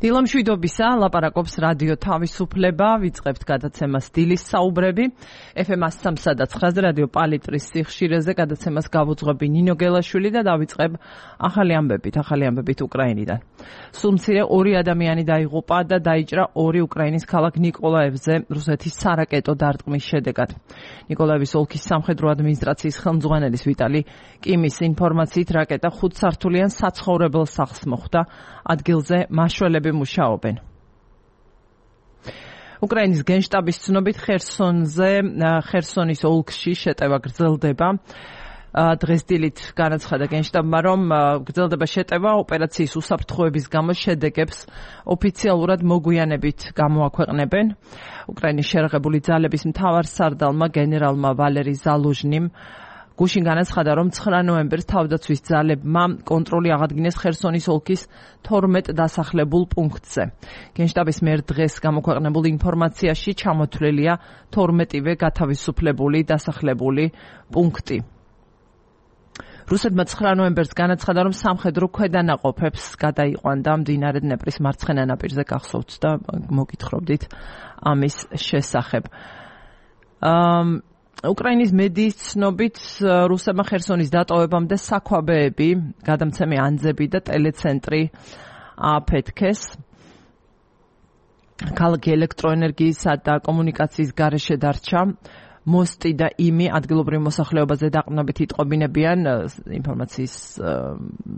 დილამშვიდობისა, ლაპარაკობს რადიო თავისუფლება, ვიწყებთ გადაცემას დილის საუბრები. FM 103.9 რადიო პალიტრის სიხშირეზე გადაცემას გავუძღვები ნინო გელაშვილი და დავიწყებ ახალი ამბებით უკრაინიდან. სულ მცირე 2 ადამიანი დაიღუპა და დაიჭრა 2 უკრაინის ქალაქ ნიკოლაევზე რუსეთის სარაკეტო დარტყმის შედეგად. ნიკოლაევის ოლქის სამხედრო ადმინისტრაციის ხელმძღვანელის ვიტალი კიმის ინფორმაციით რაკეტა 5 სართულიან საცხოვრებელ სახლს მოხვდა, ადგილზე მაშველები მუშაობენ. უკრაინის გენშტაბის ცნობით ხერსონის ოლქში შეტევა გრძელდება. დღეს დილით განაცხადა გენშტაბმა, რომ გრძელდება შეტევა ოპერაციის უსაფრთხოების გამო შედეგებს ოფიციალურად მოგვიანებით გამოაქვეყნებენ. უკრაინის შერაღებული ძალების მთავარსარდალმა გენერალმა ვალერი ზალუჟნიმ გუშინ განაცხადა, რომ 9 ნოემბერს თავდაცვის ძალებმა კონტროლი აღადგინეს ხერსონის ოლქის 12 დასახლებულ პუნქტზე. გენშტაბის მიერ დღეს გამოქვეყნებულ ინფორმაციაში ჩამოთვლილია 12-ვე გათავისუფლებული დასახლებული პუნქტი. რუსეთმა 9 ნოემბერს განაცხადა, რომ სამხედრო ქვედანაყოფებს გადაიყვანდა მდინარე დნეპრის მარცხენა ნაპირზე, გახსოვთ და მოგითხრობდით ამის შესახებ. უკრაინის მედიის ცნობით რუსებმა ხერსონის დატოვებამდე საქვაბეები, გადამცემი ანძები და ტელეცენტრი აფეთქეს. ქალაქი ელექტროენერგიისა და კომუნიკაციის გარეშე დარჩა. მოსტი და იმი ადგილობრივ მოსახლეობაზე დაყრდნობით იტყობინებიან, ინფორმაციის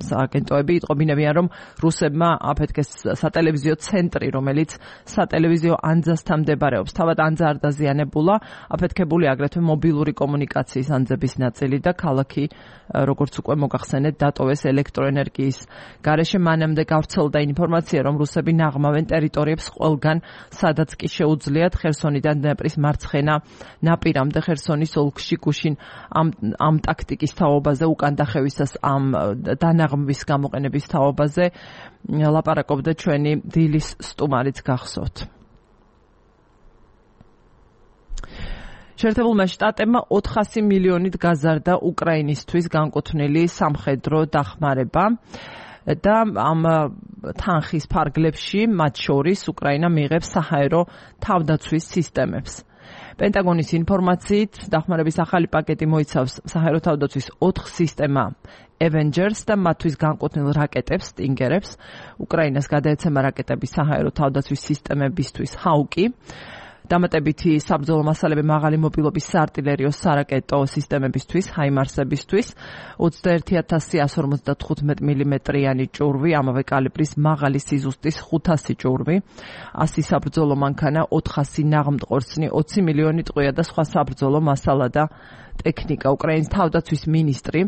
სააგენტოები იტყობინებიან, რომ რუსებმა აფეთქეს სატელევიზიო ცენტრი, რომელიც სატელევიზიო ანძასთან მდებარეობს. თავად ანძა არ დაზიანებულა, აფეთქებული აგრეთვე მობილური კომუნიკაციის ანძების ნაწილი და ქალაქი, როგორც უკვე მოგახსენეთ, დატოვეს ელექტროენერგიის გარეშე. მანამდე გავრცელდა ინფორმაცია, რომ რუსები ნაღმავენ ტერიტორიებს ყველგან, სადაც კი შეუძლიათ ხერსონიდან დნეპრის მარცხენა ნაპირამდე ხერსონის ოლქში გუშინ ამ ტაქტიკის თაობაზე, უკან დახევისას ამ დანაღმვის გამოყენების თაობაზე ლაპარაკობდა ჩვენი დილის სტუმარიც, გახსოვთ. შეერთებულმა შტატებმა 400 მილიონით გაზარდა უკრაინისთვის განკუთვნილი სამხედრო დახმარება და ამ თანხის ფარგლებში, მათ შორის უკრაინა მიიღებს საჰაერო თავდაცვის სისტემებს. პენტაგონის ინფორმაციით დახმარების ახალი პაკეტი მოიცავს საჰაერო თავდაცვის 4 სისტემა Avengers და მათთვის განკუთვნილ რაკეტებს, სტინგერებს. უკრაინას გადაეცემა რაკეტების საჰაერო თავდაცვის სისტემებისთვის ჰაუკი. დამატებითი საბრძოლო მასალები მაღალი მობილობის საარტილერიო სარაკეტო სისტემებისთვის, ჰაიმარსებისთვის, 21155 მმ-იანი ჭურვი, ამავე კალიბრის მაღალი სიზუსტის 500 ჭურვი, 100 საბრძოლო მანქანა, 400 ნაღმტყორცნი, 20 მილიონი ტყვია და სხვა საბრძოლო მასალა და ტექნიკა. უკრაინის თავდაცვის მინისტრი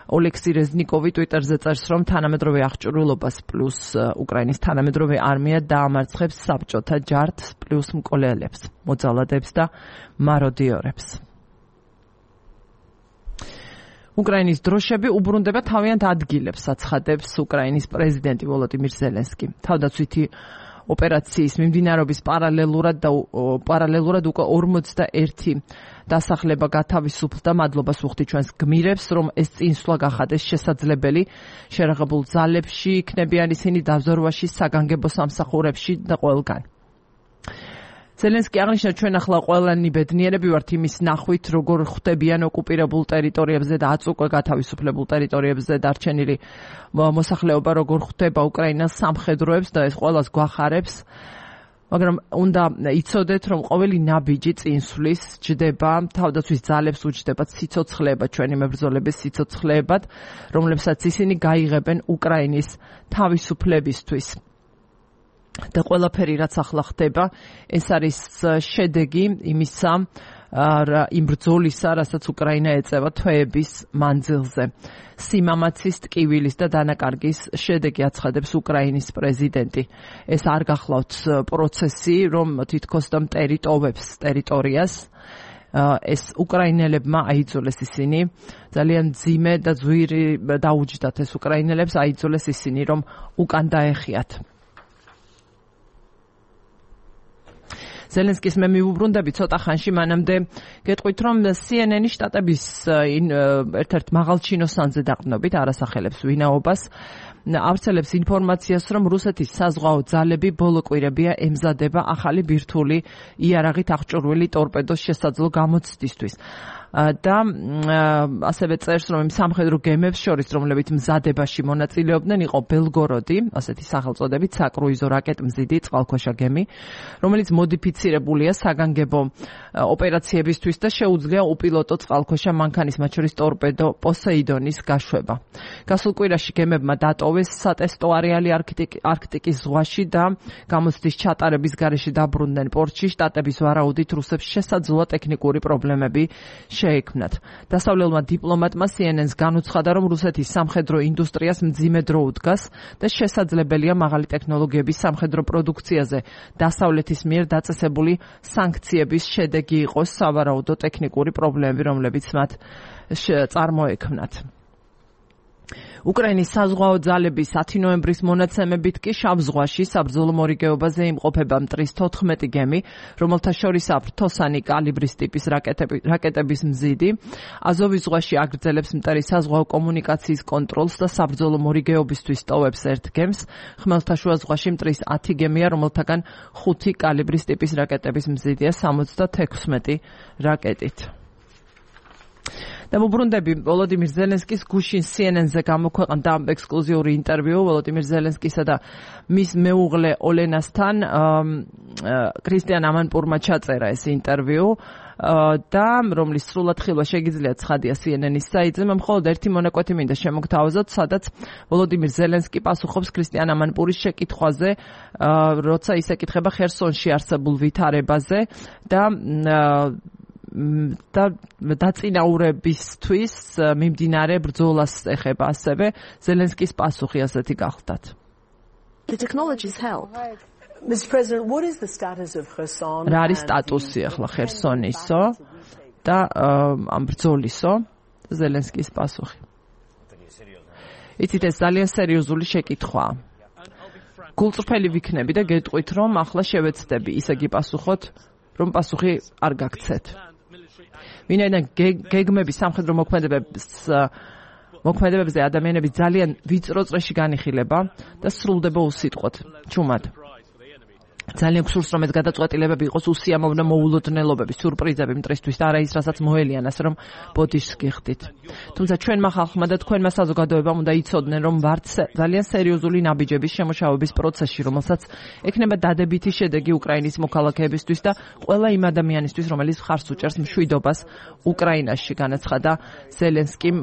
ოლექსი რეზნიკოვი ტვიტერზე წერს, რომ თანამედროვე აღჭურვილობას პლუს უკრაინის თანამედროვე არმია დაამარცხებს საბჭოთა ჯარდს პლუს მკვლელებს, მოძალადებს და მაროდიორებს. უკრაინის დროშები უბრუნდება თავიანთ ადგილებს, აცხადებს უკრაინის პრეზიდენტი ვოლოდიმირ ზელენსკი. თავდაცვითი ოპერაციის მიმდინარეობის პარალელურად უკვე 41 დასახლება გათავისუფლდა. მადლობას ვუხდით ჩვენს გმირებს, რომ ეს წინსვლა გახადეს შესაძლებელი. შერაღებულ ძალებში იქნებიან ისინი დაბზარვაში, საგანგებო სამსახურებში და ყველგან. ზელენსკი აღნიშნა, ჩვენ ახლა ყველანი ბედნიერები ვართ იმის ნახვით, როგორ ხვდებიან ოკუპირებულ ტერიტორიებზე და აწუყვე გათავისუფლებულ ტერიტორიებზე დარჩენილი მოსახლეობა, როგორ ხვდება უკრაინას სამხედროებს და ეს ყველას გვახარებს. მაგრამ უნდა იცოდეთ, რომ ყოველი ნაბიჯი წინსვლის ჯდება თავდაცვის ძალებს, უჯდებათ სიცოცხლეებად, ჩვენი მებრძოლების სიცოცხლეებად, რომლებსაც ისინი გაიღებენ უკრაინის თავისუფლებისთვის. და ყველაფერი, რაც ახლა ხდება, ეს არის შედეგი იმისა, იმ ბრძოლისა, რასაც უკრაინა ეწევა თვეების მანძილზე. სიმამაცის, ტკივილის და დანაკარგის შედეგი, აცხადებს უკრაინის პრეზიდენტი. ეს არ გახლავთ პროცესი, რომ თითქოს და მტერიტოვებს ტერიტორიას. ეს უკრაინელებმა აიძულეს ისინი, ძალიან მძიმე და ძვირი დაუჯდათ ეს უკრაინელებს, აიძულეს ისინი, რომ უკან დაეხიათ. ზელენსკის მე მივუბრუნდები ცოტა ხანში, მანამდე გეტყვით, რომ CNN-ი შტატების ერთ-ერთ მაღალჩინოსანზე დაყრდნობით არასახელებს ვინაობას ავრცელებს ინფორმაციას, რომ რუსეთის საზღვაო ძალები ბოლო კვირებია ემზადება ახალი ბირთვული იარაღით აღჭურვილი ტორპედოს შესაძლო გამოცდისთვის. და ასევე წერს, რომ იმ სამხედრო გემებს შორის, რომლებიც მზადებაში მონაწილეობდნენ, იყო ბელგოროდი, ასეთი სახელწოდებით საკრუიზო რაკეტმზიდი წყალქვეშა გემი, რომელიც მოდიფიცირებულია საგანგებო ოპერაციებისთვის და შეუძლია უპილოტო წყალქვეშა მანქანის, მათ შორის ტორპედო პოსეიდონის გაშვება. გასულ კვირაში გემებმა დატოვეს სატესტო არეალი არქტიკის ზღვაში და გამოცდის ჩატარების გარეშე დაბრუნდნენ პორტში. შტატების ვარაუდით რუსებს შესაძლოა ტექნიკური პრობლემები შეექმნათ. დასავლელმა დიპლომატმა CNN-ს განუცხადა, რომ რუსეთის სამხედრო ინდუსტრიას მძიმე დრო უდგას და შესაძლებელია მაღალი ტექნოლოგიების სამხედრო პროდუქციაზე დასავლეთის მიერ დაწესებული სანქციების შედეგი იყოს სავარაუდო ტექნიკური პრობლემები, რომლებიც მათ წარმოექმნათ. უკრაინის საზღვაო ძალების 10 ნოემბრის მონაცემებით კი შავ ზღვაში საბრძოლო მორიგეობაზე იმყოფება მტრის 14 გემი, რომელთა შორისაა ფრთოსანი კალიბრის ტიპის რაკეტების მზიდი. აზოვის ზღვაში აგრძელებს მტრის საზღვაო კომუნიკაციის კონტროლს და საბრძოლო მორიგეობისთვის ტოვებს ერთ გემს. ხმელთაშუა ზღვაში მტრის 10 გემია, რომელთაგან 5 კალიბრის ტიპის რაკეტების მზიდია 76 რაკეტით. და მოbrunდები ვოლოდიმირ ზელენსკის გუშინ CNN-ზე გამოქვეყნდა ექსკლუზიური ინტერვიუ ვოლოდიმირ ზელენსკისა და მის მეუღლე ოლენასთან. ქრისტიან ამანპურმა ჩაწერა ეს ინტერვიუ და რომლის სრულად ხილვა შეგიძლიათ ცხადია CNN-ის საიტზე. მე მხოლოდ ერთი მონაკვეთი მინდა შემოგთავაზოთ, სადაც ვოლოდიმირ ზელენსკი პასუხობს ქრისტიან ამანპურის შეკითხვაზე, როცა ის ეკითხება ხერსონში არსებულ ვითარებაზე და დაწინაურებისთვის მიმდინარე ბრძოლას ეხება. ასევე ზელენსკის პასუხი ასეთი გახლდათ. რა არის სტატუსი ახლა ხერსონისო და ამ ბრძოლისო? ზელენსკის პასუხი. იცით, ეს ძალიან სერიოზული შეკითხვაა. გულწრფელი ვიქნები და გეტყვით, რომ ახლა შევეცდები ისე გიპასუხოთ, რომ პასუხი არ გაგცეთ. ვინაიდან გეგმები სამხედრო მოქმედებებზე ადამიანები ძალიან ვიწრო წრეში განიხილება და სრულდება უსიტყვოდ, ჩუმად. ძალიან გსურს, რომ ეს გადაწყვეტილებები იყოს უსიამოვნო მოულოდნელობები, სიურპრიზები მტრისთვის და არა ის, რასაც მოელიან, ასე რომ ბოდიშს გიხდით. თუმცა ჩვენმა ხალხმა და თქვენმა საზოგადოებამ უნდა იცოდნენ, რომ ვართ ძალიან სერიოზული ნაბიჯების შემოშავების პროცესში, რომელსაც ექნება დადებითი შედეგი უკრაინის მოქალაქეებისთვის და ყველა იმ ადამიანისთვის, რომელიც მხარს უჭერს მშვიდობას უკრაინაში, განაცხადა ზელენსკიმ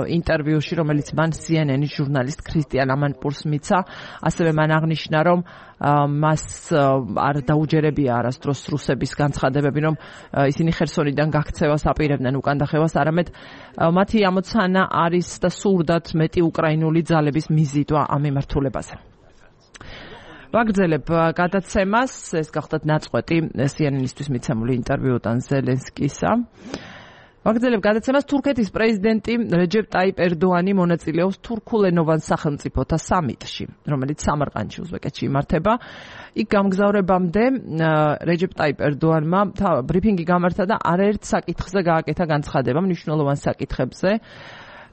ინტერვიუში, რომელიც მან CNN-ის ჟურნალისტ ქრისტიან ამანპურს მიცა. ასევე მან აღნიშნა, რომ მას არ დაუჯერებია არასდროს რუსების განცხადებები, რომ ისინი ხერსონიდან გაქცევას აპირებდნენ უკანდახევას, არამედ მათი ამოცანა არის და სურდათ მეტი უკრაინული ძალების მიზიდვა ამ მიმართულებაზე. ვაგრძელებ გადაცემას, ეს გახლდათ ნაწყვეტი CNN-ისთვის მიცემული ინტერვიუდან ზელენსკისა. ვაგრძელებ გადაცემას. თურქეთის პრეზიდენტი რეჯეპ ტაიპ ერდოანი მონაწილეობს თურქულენოვან სახელმწიფოთა სამიტში, რომელიც სამარყანდში, უზბეკეთში იმართება. იქ გამგზავრებამდე რეჯეპ ტაიპ ერდოანმა ბრიფინგი გამართა და არაერთ საკითხზე გააკეთა განცხადება, მნიშვნელოვან საკითხებზე.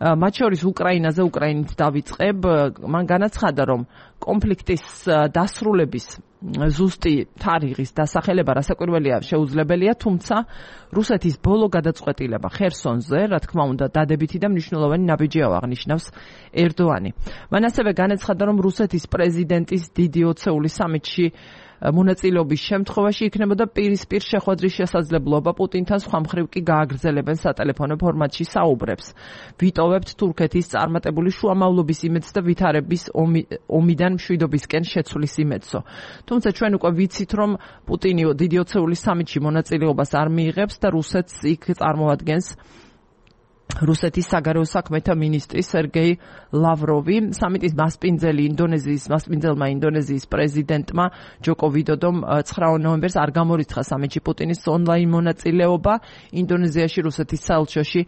მათ შორის უკრაინაზე, უკრაინით დავიწყებ. მან განაცხადა, რომ კონფლიქტის დასრულების ზუსტი თარიღის დასახელება რასაკვირველია შეუძლებელია, თუმცა რუსეთის ბოლო გადაწყვეტილება ხერსონზე, რა თქმა უნდა, დადებითი და მნიშვნელოვანი ნაბიჯია აღნიშნავს ერდოანი. მან ასევე განაცხადა, რომ რუსეთის პრეზიდენტის დიდი ოცეული სამიტში მონაწილეობის შემთხვევაში იქნებოდა პირისპირ შეხვედრის შესაძლებლობა პუტინთან, სხვა მხრივ კი გააგრძელებენ სატელეფონო ფორმატში საუბრებს. ვიტოვებთ თურქეთის წარმატებული შუამავლობის იმედს და ვითარების ომიდან მშვიდობისკენ შეცვლის იმედსო. თუმცა ჩვენ უკვე ვიცით, რომ პუტინი დიდი ოცეული სამიტში მონაწილეობას არ მიიღებს და რუსეთს იქ წარმოადგენს რუსეთის საგარეო საქმეთა მინისტრი სერგეი ლავროვი. სამიტის მასპინძელმა ინდონეზიის პრეზიდენტმა ჯოკო ვიდოდომ 9 ნოემბერს არ გამორიცხა სამიტში პუტინის ონლაინ მონაწილეობა. ინდონეზიაში რუსეთის საელჩოში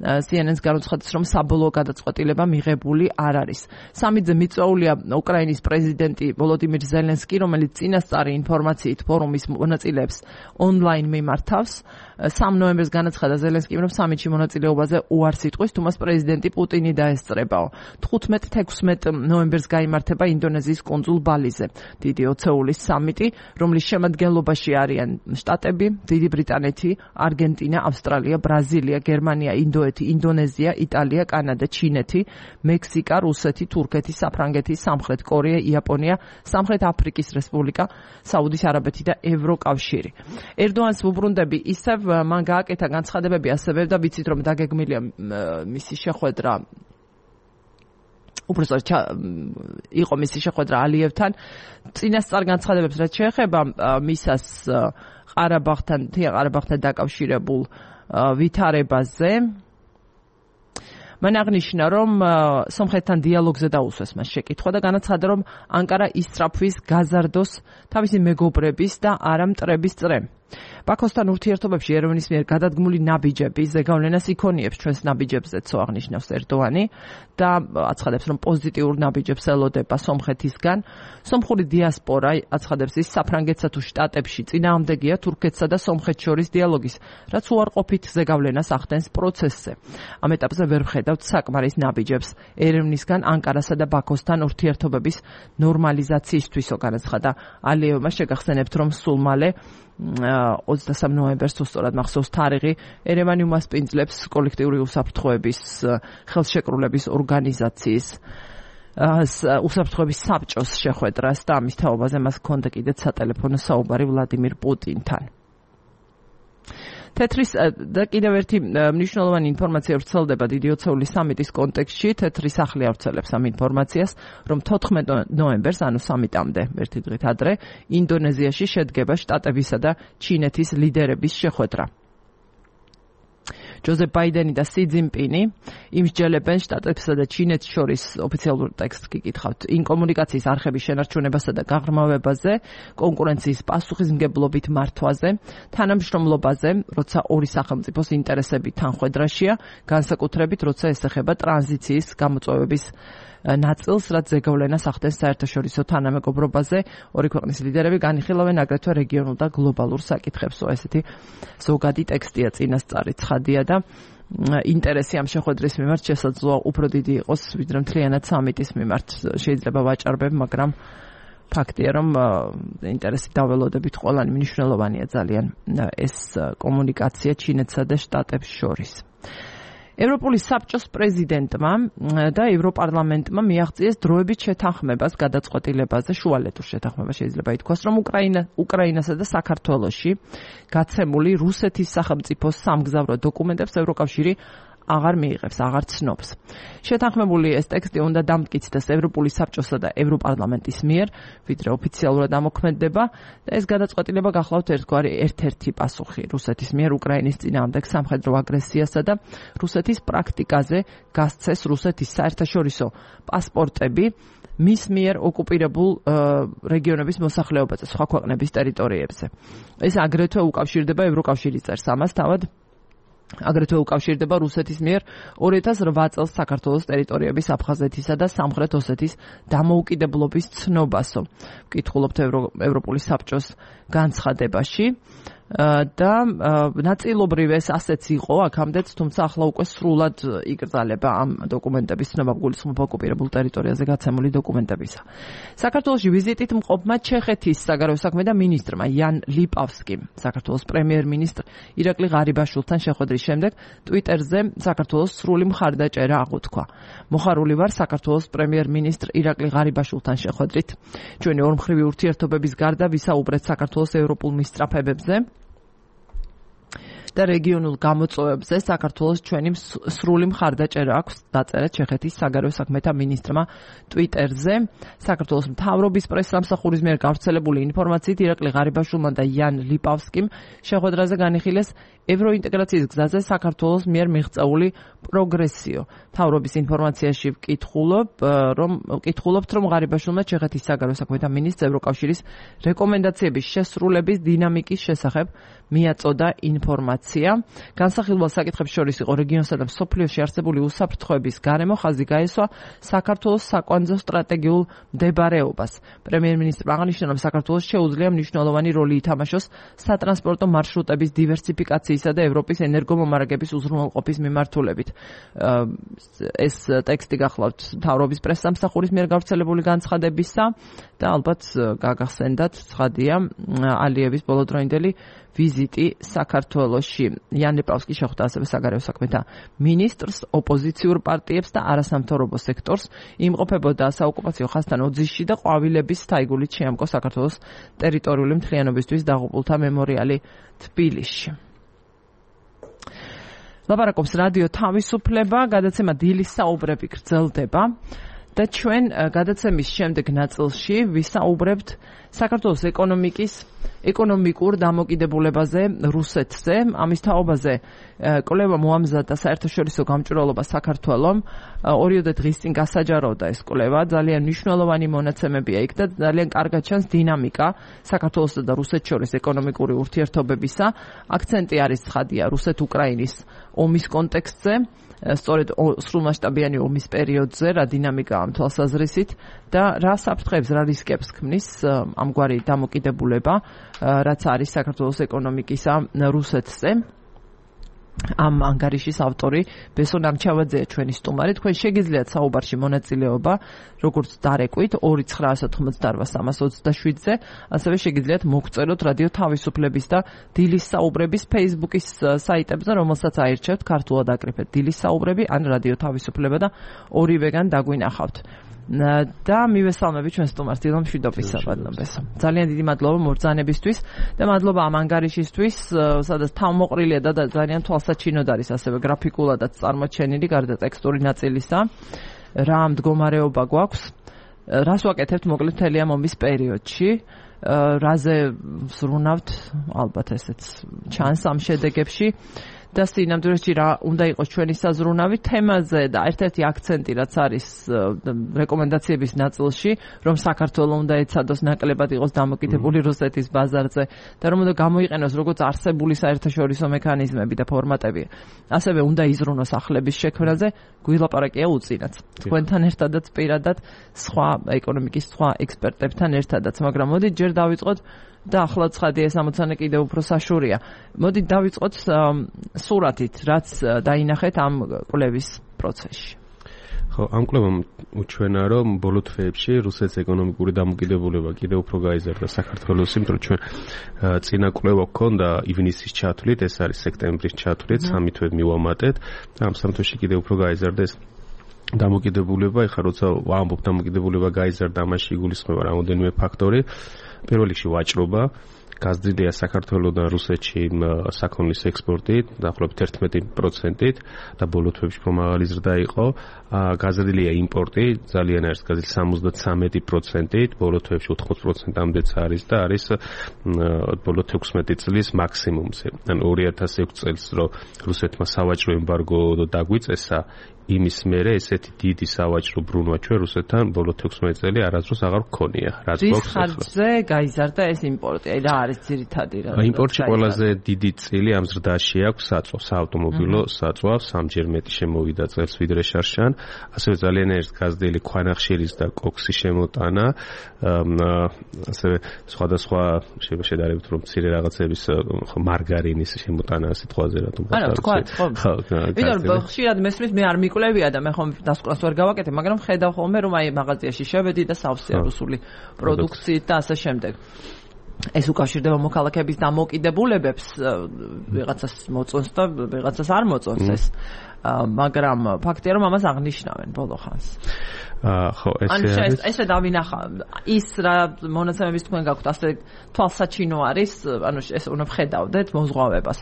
CNN-ს განუცხადეს, რომ საბოლოო გადაწყვეტილება მიღებული არ არის. სამიძე მიწვეულია უკრაინის პრეზიდენტი ვოლოდიმირ ზელენსკი, რომელიც წინასწარი ინფორმაციით ფორუმის მონაწილეებს ონლაინ მიმართავს. 3 ნოემბერს განაცხადა ზელენსკიმ, რომ სამიტში მონაწილეობაზე უარს იტყვის, თუმცა პრეზიდენტი პუტინი დაესწრებაო. 15-16 ნოემბერს გაიმართება ინდონეზიის კუნძულ ბალიზე დიდი ოცეულის სამიტი, რომლის შემადგენლობაში არიან შტატები, დიდი ბრიტანეთი, არგენტინა, ავსტრალია, ბრაზილია, გერმანია, ინდოეთი, ინდონეზია, იტალია, კანადა, ჩინეთი, მექსიკა, რუსეთი, თურქეთი, საფრანგეთი, სამხრეთ კორეა, იაპონია, სამხრეთ აფრიკის რესპუბლიკა, საუდის არაბეთი და ევროკავშირი. ერდოანის უბრუნდები ისევ მან გააკეთა განცხადებები ასევე და ვიცით რომ დაგეგმილია მისი შეხვედრა უბრალოდ იყო მისი შეხვედრა ალიევთან წინასწარ განცხადებებს რაც შეეხება მისას ყარაბაღთან დაკავშირებულ ვითარებაზე მან აღნიშნა რომ სომხეთთან დიალოგზე დაუსვეს მას შეკითხვა და განაცხადა რომ ანკარა ისწრაფვის გაზარდოს თავისი მეგობრების და არა მტრების წრე ბაქოსთან ურთიერთობებში ერევნის მიერ გადადგმული ნაბიჯები ზეგავლენას იქონიებს ჩვენს ნაბიჯებზეცო აღნიშნავს ერდოანი და აცხადებს რომ პოზიტიურ ნაბიჯებს ელოდება სომხეთისგან სომხური დიასპორა აცხადებს ის საფრანგეთსა თუ შტატებში წინააღმდეგია თურქეთსა და სომხეთს შორის დიალოგის რაც უარყოფით ზეგავლენას ახდენს პროცესზე ამ ეტაპზე ვერ ვხედავთ საკმარის ნაბიჯებს ერევნისგან ანკარასა და ბაქოსთან ურთიერთობების ნორმალიზაციისთვისო განაცხადა ალიევმა შეგახსენებთ რომ სულ მალე 23 ნოემბერს სწორად მახსოვს თარიღი ერევანი უმასპინძლებს კოლექტიური უსაფრთხოების ხელშეკრულების ორგანიზაციის უსაფრთხოების საბჭოს შეხვედრას და ამის თაობაზე მას ჰქონდა კიდეც სატელეფონო საუბარი ვლადიმირ პუტინთან თეთრის და კიდევ ერთი მნიშვნელოვანი ინფორმაცია ვრცელდება დიდი ოცეულის სამიტის კონტექსტში თეთრი სახლი ავრცელებს ამ ინფორმაციას რომ 14 ნოემბერს ანუ სამიტამდე ერთი დღით ადრე ინდონეზიაში შედგება შტატებისა და ჩინეთის ლიდერების შეხვედრა ჯოზეფ ბაიდენი და სი ძინპინი იმსჯელებენ შტატებსა და ჩინეთს შორის ოფიციალურ ტექსტს გიკითხავთ იმ კომუნიკაციის არხების შენარჩუნებასა და გაღრმავებაზე კონკურენციის პასუხისმგებლობით მართვაზე თანამშრომლობაზე როცა ორი სახელმწიფოს ინტერესები თანხვედრაშია განსაკუთრებით როცა ეს ეხება ტრანზიციის გამოწვევების ნაწილს, რაც ზეგავლენას ახდენს საერთაშორისო თანამეგობრობაზე, ორი ქვეყნის ლიდერები განიხილავენ აგრეთვე რეგიონულ და გლობალურ საკითხებს. ესეთი ზოგადი ტექსტია წინასწარი ცხადია და ინტერესი ამ შეხვედრის მიმართ შესაძლოა უფრო დიდი იყოს, ვიდრე მთლიანად სამიტის მიმართ. შეიძლება ვაჭარბებ, მაგრამ ფაქტია, რომ ინტერესი დაველოდებით ყველანი მნიშვნელოვანია ძალიან ეს კომუნიკაცია ჩინეთსა და შტატებს შორის. ევროპული საბჭოს პრეზიდენტმა და ევროპარლამენტმა მიაღწიეს დროებით შეთანხმებას გადაწყვეტილებაზე შუალედურ შეთანხმებას შეიძლება ითქვას რომ უკრაინასა და საქართველოში გაცემული რუსეთის სახელმწიფოს სამგზავრო დოკუმენტებს ევროკავშირი აღარ მიიღებს, აღარ ცნობს. შეთანხმებული ეს ტექსტი უნდა დამტკიცდეს ევროპული საბჭოსა და ევროპარლამენტის მიერ, ვიდრე ოფიციალურად ამოქმედდება და ეს გადაწყვეტილება გახლავთ ერთ-ერთი პასუხი რუსეთის მიერ უკრაინის წინააღმდეგ სამხედრო აგრესიასა და რუსეთის პრაქტიკაზე გასცეს რუსეთის საერთაშორისო პასპორტები მის მიერ ოკუპირებულ რეგიონების მოსახლეობაზე, სხვა ქვეყნების ტერიტორიებზე. ეს აგრეთვე უკავშირდება ევროკავშირის წერს ამას თავად აგრეთვე უკავშირდება რუსეთის მიერ 2008 წელს საქართველოს ტერიტორიების აფხაზეთისა და სამხრეთ ოსეთის დამოუკიდებლობის ცნობასო. ვკითხულობთ ევროპული საბჭოს განცხადებაში და ნაწილობრივ ეს ასეც იყო აქამდეც, თუმცა ახლა უკვე სრულად იკრძალება ამ დოკუმენტების ცნობა გულისხმობ ოკუპირებულ ტერიტორიაზე გაცემული დოკუმენტებისა. საქართველოში ვიზიტით მყოფმა ჩეხეთის საგარეო საქმეთა მინისტრმა იან ლიპავსკიმ, საქართველოს პრემიერ-მინისტრ ირაკლი ღარიბაშვილთან შეხვედრის შემდეგ ტვიტერზე საქართველოს სრული მხარდაჭერა აღუთქვა. მოხარული ვარ საქართველოს პრემიერ-მინისტრ ირაკლი ღარიბაშვილთან შეხვედრით. ჩვენი ორმხრივი ურთიერთობების გარდა ვისაუბრეთ საქართველოს ევროპულ მისწრაფებებზე და რეგიონულ გამოწვევებზე საქართველოს ჩვენი სრული მხარდაჭერა აქვს დაწერა ჩეხეთის საგარეო საქმეთა მინისტრმა ტვიტერზე. საქართველოს მთავრობის პრესსამსახურის მიერ გავრცელებული ინფორმაციით ირაკლი ღარიბაშვილმა და იან ლიპავსკიმ შეხვედრაზე განიხილეს ევროინტეგრაციის გზაზე საქართველოს მიერ მიღწეული პროგრესიო. მთავრობის ინფორმაციაში ვკითხულობთ, რომ ღარიბაშვილმა ჩეხეთის საგარეო საქმეთა მინისტრს ევროკავშირის რეკომენდაციების შესრულების დინამიკის შესახებ მიაწოდა ინფორმაცია. ინფორმაცია. განსახილველ საკითხებს შორის იყო რეგიონსა და მსოფლიოში არსებული უსაფრთხოების გარემო, ხაზი გაესვა საქართველოს საკვანძო სტრატეგიულ მდებარეობას. პრემიერ-მინისტრმა აღნიშნა, რომ საქართველოს შეუძლია მნიშვნელოვანი როლი ითამაშოს სატრანსპორტო მარშრუტების დივერსიფიკაციისა და ევროპის ენერგომომარაგების უზრუნველყოფის მიმართულებით. ეს ტექსტი გახლავთ მთავრობის პრესსამსახურის მიერ გავრცელებული განცხადებისა და ალბათ გაგახსენდათ ცხადია ალიევის ბოლოდროინდელი ვიზიტი საქართველოში. იან ლიპავსკი შეხვდა ასევე საგარეო საქმეთა მინისტრს, ოპოზიციურ პარტიებს და არასამთავრობო სექტორს, იმყოფებოდა საოკუპაციო ხაზთან ოძისში და ყვავილების თაიგულით შეამკო საქართველოს ტერიტორიული მთლიანობისთვის დაღუპულთა მემორიალი თბილისში. ლაპარაკობს რადიო თავისუფლება, გადაცემა დილის საუბრები გრძელდება და ჩვენ გადაცემის შემდეგ ნაწილში ვისაუბრებთ საქართველოს ეკონომიკურ დამოკიდებულებაზე რუსეთზე, ამის თაობაზე კვლევა მოამზადა საერთაშორისო გამჭვირვალობა საქართველომ. 2 დღის წინ გასაჯაროდა ეს კვლევა, ძალიან მნიშვნელოვანი მონაცემებია იქ და ძალიან კარგად ჩანს დინამიკა საქართველოსა და რუსეთს შორის ეკონომიკური ურთიერთობებისა. აქცენტი არის ცხადია რუსეთ-უკრაინის ომის კონტექსტზე, სწორედ სრულმასშტაბიანი ომის პერიოდზე, რა დინამიკაა ამ თვალსაზრისით და რა საფრთხეებს, რა რისკებს ქმნის ამგვარი დამოკიდებულება, რაც არის საქართველოს ეკონომიკისა რუსეთზე. ამ ანგარიშის ავტორი ბესონ ამჩავაძეა ჩვენი სტუმარი. თქვენ შეგიძლიათ საუბარში მონაწილეობა, როგორც დარეკვით 2998327-ზე, ასევე შეგიძლიათ მოგწეროთ რადიო თავისუფლების და დილის საუბრების Facebook-ის საიტებზე, რომელსაც აირჩევთ ქართულად აკრიფეთ დილის საუბრები ან რადიო თავისუფლება და ორივეგან დაგვინახავთ. და მივესალმები ჩვენ სტუმარს დილო მშვიდობისა ბატონებესო. ძალიან დიდი მადლობა მობრძანებისთვის და მადლობა ამ ანგარიშისთვის, სადაც თავმოყრილია და ძალიან თვალსაჩინოდ არის ასევე გრაფიკულადაც წარმოჩენილი გარდა ტექსტური ნაწილისა. რა მდგომარეობა გვაქვს, რას ვაკეთებთ მოკლედ მთელი ამ ომის პერიოდში, რაზე ვზრუნავთ, ალბათ ესეც ჩანს ამ შედეგებში. და სინამდვილეში რა უნდა იყოს ჩვენი საზრუნავი თემაზე და ერთ-ერთი აქცენტი რაც არის რეკომენდაციების ნაწილში, რომ საქართველოს უნდა ეცადოს ნაკლებად იყოს დამოკიდებული რუსეთის ბაზარზე და რომ უნდა გამოიყენოს როგორც არსებული საერთაშორისო მექანიზმები და ფორმატები. ასევე უნდა იზრუნოს ახლების შექმნაზე, გვილაპარაკია უწინაც. თქვენთან ერთადაც პირადად სხვა ეკონომიკის სხვა ექსპერტებთან ერთადაც, მაგრამ მოდით ჯერ დავიწყოთ და ახლა ცხადია ეს ამოცანა კიდევ უფრო საშურია. მოდით დავიწყოთ სურათით, რაც დაინახეთ ამ კვლევის პროცესში. ხო, ამ კვლევამ უჩვენა, რომ ბოლო თვეებში რუსეთის ეკონომიკური დამოკიდებულება კიდევ უფრო გაიზარდა საქართველოს, იმიტომ რომ ჩვენ წინა კვლევა გქონდა ივნისის ჩათვლით, ეს არის სექტემბრის ჩათვლით, 3 თვე მივამატეთ და ამ 3 თვეში კიდევ უფრო გაიზარდა ეს დამოკიდებულება. ეხლა როცა ვამბობ დამოკიდებულება გაიზარდა, ამაში იგულისხმება რამოდენიმე ფაქტორი. პირველ რიგში ვაჭრობა, გაზრდილია საქართველოსთან რუსეთში საქონლის ექსპორტი დაახლოებით 11%-ით და ბოლო თვეებში უფრო მაღალი ზრდა იყო. გაზრდილია იმპორტი, ძალიან არის გაზრდილი 73%-ით, ბოლო თვეებში 80%-ამდეც არის და არის ბოლო 16 წლის მაქსიმუმზე. ანუ 2006 წელს რო რუსეთმა სავაჭრო ემბარგო დაგვიწესა, იმის მერე ესეთი დიდი სავაჭრო ბრუნვა ჩვენ რუსეთთან ბოლო 16 წელი არასდროს აღარ გქონია. რაც გვაქვს ხარჯზე გაიზარდა ეს იმპორტი. აი რა არის ძირითადი რა? იმპორტში ყველაზე დიდი წილი ამ ზრდაში აქვს საწვა, საავტომობილო საწვა, სამჯერ მეტი შემოვიდა წელს ვიდრე შარშან. ასევე ძალიან არის გაზრდილი ქვანახშირის და კოქსის შემოტანა. ასევე სხვადასხვა შედარებით რომ მცირე რაღაცების მარგარინის შემოტანა სიტყვაზე რატომ გახსოვთ? ხო. ვიდრე ხშირად მესმის მე არ მიკვლევია და მე ხომ დასკვნას ვერ გავაკეთებ, მაგრამ ხედავ ხოლმე რომ აი მაღაზიაში შევედი და სავსეა რუსული პროდუქციით და ასე შემდეგ. ეს უკავშირდება მოქალაქეების დამოკიდებულებებს, ვიღაცას მოწონს და ვიღაცას არ მოწონს ეს. მაგრამ ფაქტია რომ ამას აღნიშნავენ ბოლო ხანს. ხო, ესე ესე დავინახა ის რა მონაცემების თქვენ გაქვთ, ასე თვალსაჩინო არის, ანუ ეს უნდა ვხედავდეთ მოზღვავებას.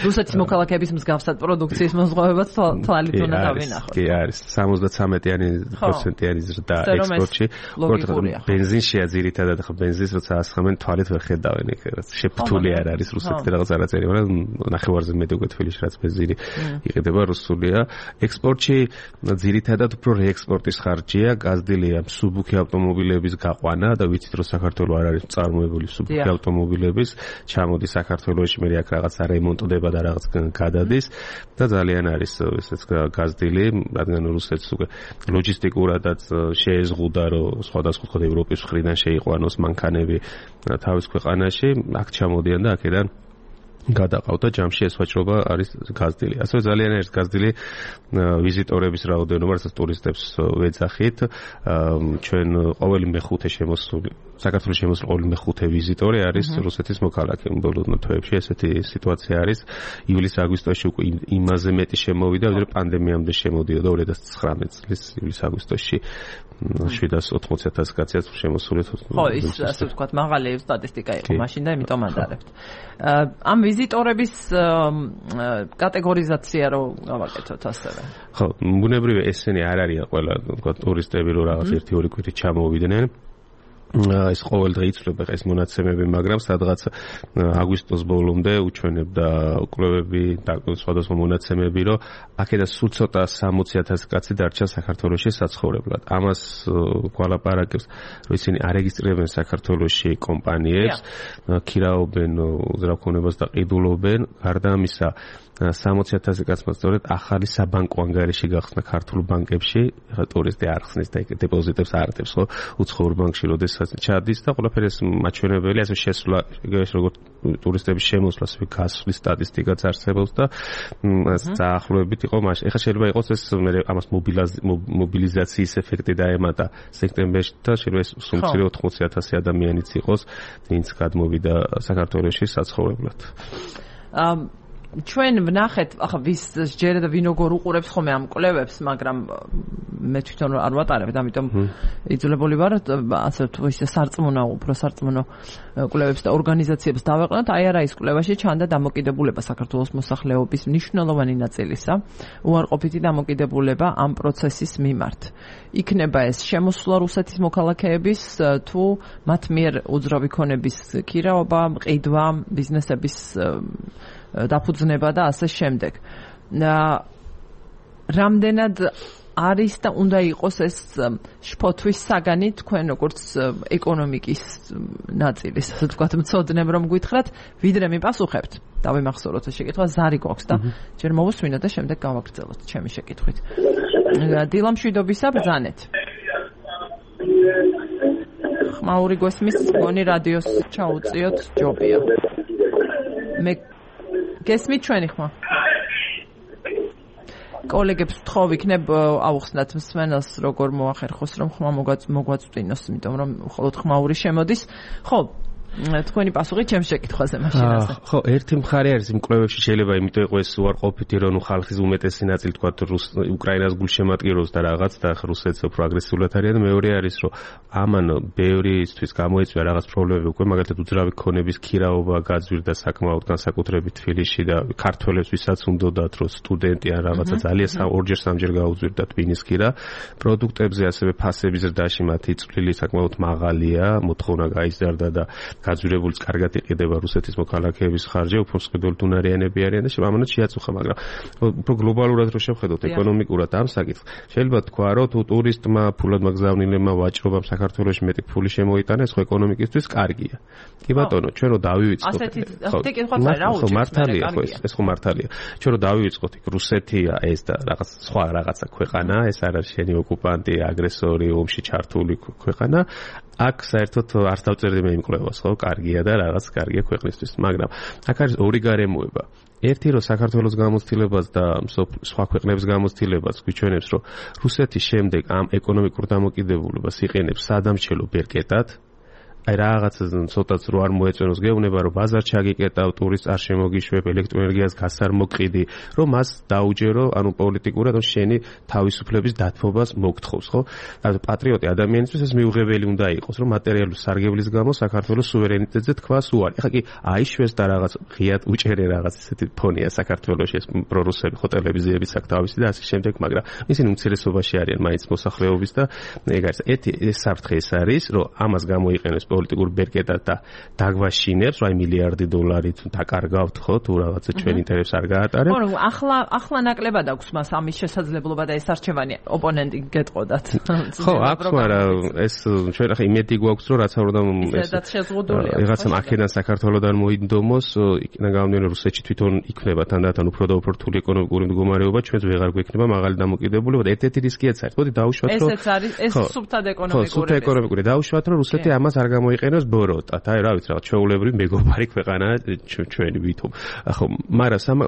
რუსეთის მოქალაქეების მსგავსად პროდუქციის მოზღვავებას თვალით უნდა დავინახოთ. კი, არის 73%-იანი ზრდა ექსპორტში. ბენზინშია ძირითადად, ხო ბენზინს როცა ასხამენ თვალით ვერ ხედავენ, ეგ რაც შეფთული არ არის რუსეთში რაღაც არაწერი, მაგრამ ნახევარზე მეტი უკვე თბილისში რაც ბენზინი იყიდება რუსულია. ექსპორტში ძირითადად უფრო რეექსპორტის ხარჯია, გაზრდილია მსუბუქი ავტომობილების გაყვანა და ვიცით რომ საქართველოს არ არის წარმოებული მსუბუქი ავტომობილების, ჩამოდის საქართველოში, მე აქ რაღაცა რემონტდება და რაღაც გადადის და ძალიან არის ესეც გაზრდილი, რადგან რუსეთს უკვე ლოჯისტიკურადაც შეეზღუდა რომ სხვადასხვა ევროპის მხრიდან შეიყვანოს მანქანები თავის ქვეყანაში, აქ ჩამოდიან და აქედან გადაყავთ და ჯამში ეს ვაჭრობა არის გაზრდილი. ასევე ძალიან არის გაზრდილი ვიზიტორების რაოდენობა, რასაც ტურისტებს ვეძახით. ჩვენ ყოველი მეხუთე შემოსული საქართველოს შემოსული ყოველი მეხუთე ვიზიტორი არის რუსეთის მოქალაქე. ბოლო თვეებში ესეთი სიტუაცია არის. ივლის-აგვისტოში უკვე იმაზე მეტი შემოვიდა, ვიდრე პანდემიამდე შემოდიოდა 2019 წლის ივლის-აგვისტოში 780,000 კაცი შემოსული. ხო, ის ასე ვთქვათ, მაღალი სტატისტიკა იყო მაშინ და იმიტომ ადარებთ. ამ ვიზიტორების კატეგორიზაცია რო გავაკეთოთ ასევე. ხო, ბუნებრივია ესენი არ არიან ყველა, ვთქვათ, ტურისტები რო რაღაც 1-2 კვირით ჩამოვიდნენ. ეს ყოველ დღე იცვლება ეს მონაცემები, მაგრამ სადღაც აგვისტოს ბოლომდე უჩვენებდა კვლევები და სხვადასხვა მონაცემები, რომ აქედან სულ ცოტა 60,000 კაცი დარჩა საქართველოში საცხოვრებლად. ამას გვალაპარაკებს, რომ ისინი არეგისტრირებენ საქართველოში კომპანიებს, ქირაობენ უძრავქონებას და ყიდულობენ. გარდა ამისა 60,000 კაცმა სწორედ ახალი საბანკო ანგარიში გახსნა ქართულ ბანკებში, ხა ტურისტი არ ხსნის და დეპოზიტებს არ ატებს, ხო, უცხოურ ბანკში როდესაც ჩადის და ყველაფერი ეს მაჩვენებელი, ასე შესვლა, როგორც ტურისტების შემოსვლა, ასე გასვლის სტატისტიკაც არსებობს და დაახლოებით იყო მაშინ. ეხლა შეიძლება იყოს ეს ამას მობილიზაციის ეფექტი დაემატა სექტემბერში და შეიძლება ეს სულ 80,000 ადამიანიც იყოს, ვინც გადმოვიდა საქართველოში საცხოვრებლად. ჩვენ ვნახეთ, ახლა ვის ჯერა და ვინ როგორ უყურებს ხოლმე ამ კვლევებს, მაგრამ მე თვითონ არ ვატარებ, ამიტომ იძულებული ვარ ასე თუ ისე სარწმუნო, უფრო სარწმუნო კვლევებს და ორგანიზაციებს დავეყნათ. აი არა ის კვლევაში ჩანდა დამოკიდებულება საქართველოს მოსახლეობის მნიშვნელოვანი ნაწილისა, უარყოფითი დამოკიდებულება ამ პროცესის მიმართ. იქნება ეს შემოსვლა რუსეთის მოქალაქეების თუ მათ მიერ უძრავი ქონების ქირაობა, ყიდვა, ბიზნესების დაფუძნება და ასე შემდეგ. რამდენად არის და უნდა იყოს ეს შფოთვის საგანი თქვენ როგორც ეკონომიკის ნაწილის, ასე ვთქვათ, მცოდნემ რომ გითხრათ, ვიდრე მიპასუხებთ. დავიმახსოვროთ ეს შეკითხვა, ზარი გვაქვს და ჯერ მოვუსმინოთ და შემდეგ გავაგრძელოთ ჩემი შეკითხვით. დილამშვიდობისა, ბრძანეთ. ხმაური გვესმის, მგონი რადიოს ჩაუწიოთ, ჯობია. მე გესმით ჩვენი ხმა? კოლეგებს ვთხოვ იქნებ აუხსნათ მსმენელს როგორ მოახერხოს რომ ხმა მოგვაწვდინოს, იმიტომ რომ მხოლოდ ხმაური შემოდის. ხო, თქვენი პასუხი ჩემს შეკითხვაზე მაშინაზე. ხო, ერთი მხარე არის იმ კვლევებში შეიძლება იმიტომ იყოს უარყოფითი რომ ხალხის უმეტესი ნაწილი თქვა უკრაინას გულშემატკივრობს და რაღაც და რუსეთს უფრო აგრესიულად არიან. მეორე არის რომ ამან ბევრისთვის გამოიწვია რაღაც პრობლემები უკვე, მაგალითად უძრავი ქონების ქირაობა გაძვირდა საკმაოდ, განსაკუთრებით თბილისში და ქართველებს ვისაც უნდათ რომ სტუდენტი ან რაღაცა ძალიან ორჯერ სამჯერ გაუძვირდა ტვინის ქირა. პროდუქტებზე ასევე ფასების ზრდაში მათი წვლილი საკმაოდ მაღალია, მოთხოვნა გაიზარდა და გაძვირებულიც კარგად იყიდება რუსეთის მოქალაქეების ხარჯი, უფრო მსყიდველი უნარიანები არიან და ამანაც შეაწუხა, მაგრამ უფრო გლობალურად რო შევხედოთ ეკონომიკურად ამ საკითხს, შეიძლება თქვა, რომ თუ ტურისტმა, ფულად მაგზავნილებმა ვაჭრობამ საქართველოში მეტი ფული შემოიტანა, ეს ხო ეკონომიკისთვის კარგია. კი ბატონო, ჩვენ რო დავივიწყოთ. ხო, მართალია, ხო, ეს ხო მართალია. ჩვენ რო დავივიწყოთ, იქ რუსეთია ეს და რაღაც სხვა რაღაცა ქვეყანა, ეს არ არის შენი ოკუპანტი, აგრესორი, ომში ჩართული ქვეყანა. აქ საერთოდ არ დავწერდი მე იმ კვლევას, ხო, კარგია და რაღაც კარგია ქვეყნისთვის, მაგრამ აქ არის ორი გარემოება. ერთი რომ საქართველოს გამოცდილებას და სხვა ქვეყნების გამოცდილებას გვიჩვენებს, რომ რუსეთი შემდეგ ამ ეკონომიკურ დამოკიდებულებას იყენებს სადამშელო ბერკეტად. აი რაღაცა ცოტაც რო არ მოეწონოს გეუბნება რომ ბაზარ ჩაგიკეტავ, ტურისტს არ შემოგიშვებ, ელექტროენერგიას გას არ მოკყიდი, რომ მას დაუჯერო, ანუ პოლიტიკურად რომ შენი თავისუფლების დათმობას მოგთხოვს, ხო? ანუ პატრიოტი ადამიანისთვის ეს მიუღებელი უნდა იყოს, რომ მატერიალური სარგებლის გამო საქართველოს სუვერენიტეტზე თქვას უარი. ეხლა კი აიშვეს და რაღაც ღიად უჭერე რაღაც ესეთი ფონია საქართველოში, ეს პრორუსები ხო ტელევიზიებიც აქვს თავისი და ასე შემდეგ, მაგრამ ისინი უმცირესობაში არიან მაინც მოსახლეობის და ეგ არის. ეს საფრთხე ეს არის, რომ ამას გამოიყენებს პოლიტიკურ ბერკეტად და დაგვაშინებს, აი მილიარდი დოლარით დაკარგავთ ხო თუ რაღაცა ჩვენ ინტერესს არ გაატარებთ. ხო, ახლა ნაკლებად აქვს მას ამის შესაძლებლობა და ეს არჩევანი ოპონენტი გეტყოდათ. ხო, აქვს, მაგრამ ეს ჩვენ ახლა იმედი გვაქვს, რომ რაც არ უნდა ესეც შეზღუდულია. რაღაცა აქედან საქართველოსთან მოინდომოს, იქიდან გამომდინარე რუსეთში თვითონ იქნება თანდათან უფრო და უფრო რთული ეკონომიკური მდგომარეობა, ჩვენც ვეღარ გვექნება მაღალი დამოკიდებულება და ერთ-ერთი რისკიც არის. მოდი დავუშვათ, რომ ესეც არის, ეს სუფთად ეკონომიკური. ხო, სუფთა ეკონომიკური. დავუშვათ, რომ რუსეთი ამას არ გამოიყენოს ბოროტად. აი, რა ვიცი, რაღაც ჩვეულებრივი მეგობარი ქვეყანა ჩვენი ვითომ. ხო, მაგრამ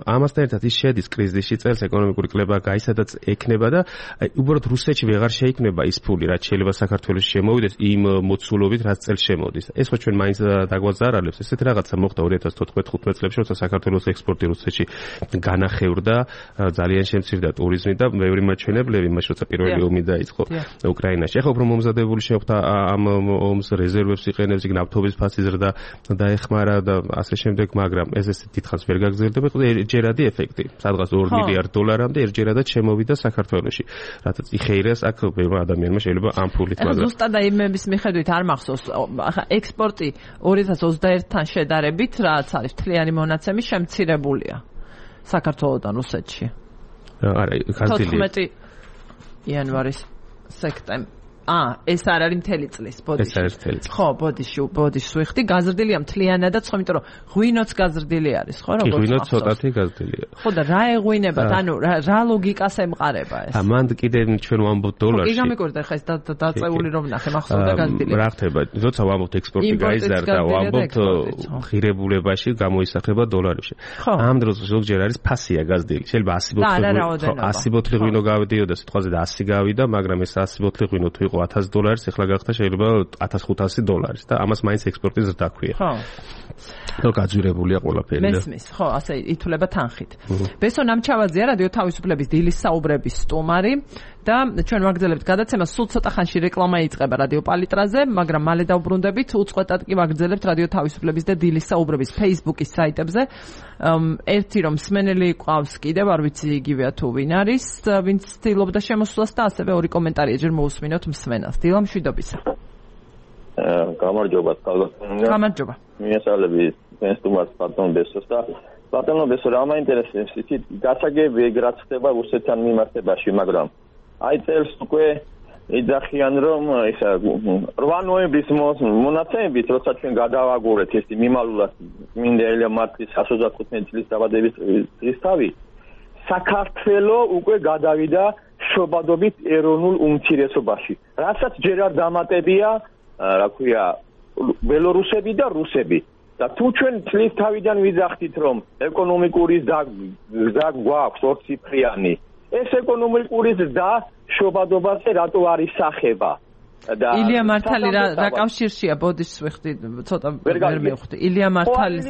ამასთან ერთად ის შედის კრიზისში წელს ეკონომიკური კლება გაისადაც ექნება და აი უბრალოდ რუსეთში ვეღარ შეიქმნება ის ფული, რაც შეიძლება საქართველოში შემოვიდეს იმ მოცულობით, რაც წელს შემოდის. ეს ხო ჩვენ მაინც დაგვაზარალებს. ესეთი რაღაცა მოხდა 2014-15 წლებში, როცა საქართველოს ექსპორტი რუსეთში განახევრდა, ძალიან შემცირდა ტურიზმი და ბევრი მაჩვენებლები, მაშინ როცა პირველი ომი დაიწყო უკრაინაში. ახლა უფრო მომზადებული შეხვდა ამ ომს რეზერვებს იყენებს, იქ ნავთობის ფასი ზრდა დაეხმარა და ასე შემდეგ, მაგრამ ეს დიდხანს ვერ გაგრძელდება, ერთჯერადი ეფექტი. სადღაც 2 მილიარდ დოლარამდე ერთჯერადად შემოვიდა საქართველოში. რადგან იხეირეს აქ ბევრ ადამიანმა შეიძლება ამ ფულით მაგრამ ზუსტად იმების მიხედვით არ მახსოვს. ახლა ექსპორტი 2021-თან შედარებით რაც არის მთლიანი მონაცემი შემცირებულია საქართველოსთან რუსეთში. არა, გაზრდილია. 14 იანვარის სექტემბრი. ეს არ არის მთელი წლის, ბოდიში. ეს არის მთელი წლის. ხო, ბოდიში ვიხდი, გაზრდილია მთლიანადაც, ხო, იმიტომ რომ ღვინოც გაზრდილი არის, ხო, როგორც ღვინოც ცოტათი გაზრდილია. ხო, და რა ეღვინებათ, ანუ რა ლოგიკას ემყარება ეს? მან კიდე ჩვენ ვამბობთ დოლარში. კი, გამიგორდა ხა ეს დაწეული რომ ნახე, მახსოვდა გაზრდილი. რა ხდება? როცა ვამბობთ ექსპორტი გაიზარდა, ვამბობთ ღირებულებაში გამოისახება დოლარებში. ამ დროს ზოგჯერ არის ფასია გაზრდილი. შეიძლება 100 ბოთლი ღვინო გავიდიოდა სიტყვაზე და 100 გავიდა, მაგრამ ეს 100 ბოთლი ღვინო თუ $1,000 ეხლა გახდა შეიძლება $1,500 და ამას მაინც ექსპორტი ზრდა ქვია. ხო. და გაძვირებულია ყველაფერი და მესმის, ხო, ასე ითვლება თანხით. ბესო ნამჩავაძეა რადიო თავისუფლების დილის საუბრების სტუმარი და ჩვენ ვაგრძელებთ გადაცემას, სულ ცოტა ხანში რეკლამა იწყება რადიო პალიტრაზე, მაგრამ მალე დავბრუნდებით, უწყვეტად კი ვაგრძელებთ რადიო თავისუფლების და დილის საუბრების Facebook-ის საიტებზე. ერთი რომ მსმენელი ყავს კიდევ, არ ვიცი იგივეა თუ ვინ არის, ვინც ცდილობდა შემოსვლას და ასევე ორი კომენტარი ჯერ მოусმინოთ მსმენელს. დილა მშვიდობისა. გამარჯობა, გამარჯობა. მიესალმები სტუმარს ბატონ ბესოს და ბატონო ბესო რა მაინტერესებს იცით გასაგები ეგ რაც ხდება რუსეთთან მიმართებაში, მაგრამ აი წელს უკვე იძახიან რომ ისა 8 ნოემბრის მონაცემებით როცა ჩვენ გადავაგურეთ ეს მიმალულად მინდა ელია მარტის 125 წლის დაბადების დღისთავი საქართველო უკვე გადავიდა შობადობით ეროვნულ უმცირესობაში, რასაც ჯერ არ დამატებია რა ქვია ბელორუსები და რუსები. და თუ ჩვენ წლის თავიდან ვიძახდით რომ ეკონომიკური ზრდა გვაქვს ორციფრიანი, ეს ეკონომიკური ზრდა შობადობაზე რატო არ ისახება? ილია მართალი რა კავშირშია ბოდიშს ვიხდი ცოტა ვერ მივხვდი. ილია მართლის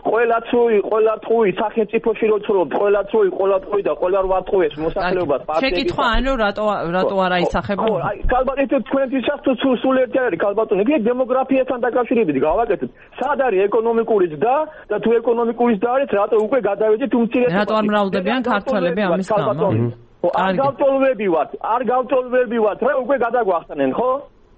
ყველა წუი სახელმწიფოში რო ცხოვრობ, ყველა წუი და ყველა 8 წუის მოსახლეობას პარტიები. შეკითხვა ანუ რატო არ აისახება? ხო, აი ქალბატონი თქვენთვისაც თუ სულ ერთი არის ქალბატონი, იგი დემოგრაფიასთან დაკავშირებით გავაკეთეთ. სად არის ეკონომიკური ზრდა და თუ ეკონომიკური ზრდა არის, რატო უკვე გადავედით უმცირესობაში? რატო არ მრავლდებიან ქართველები ამის გამო? არ გავწოლვებივათ, რა უკვე გადაგვახსნენ, ხო?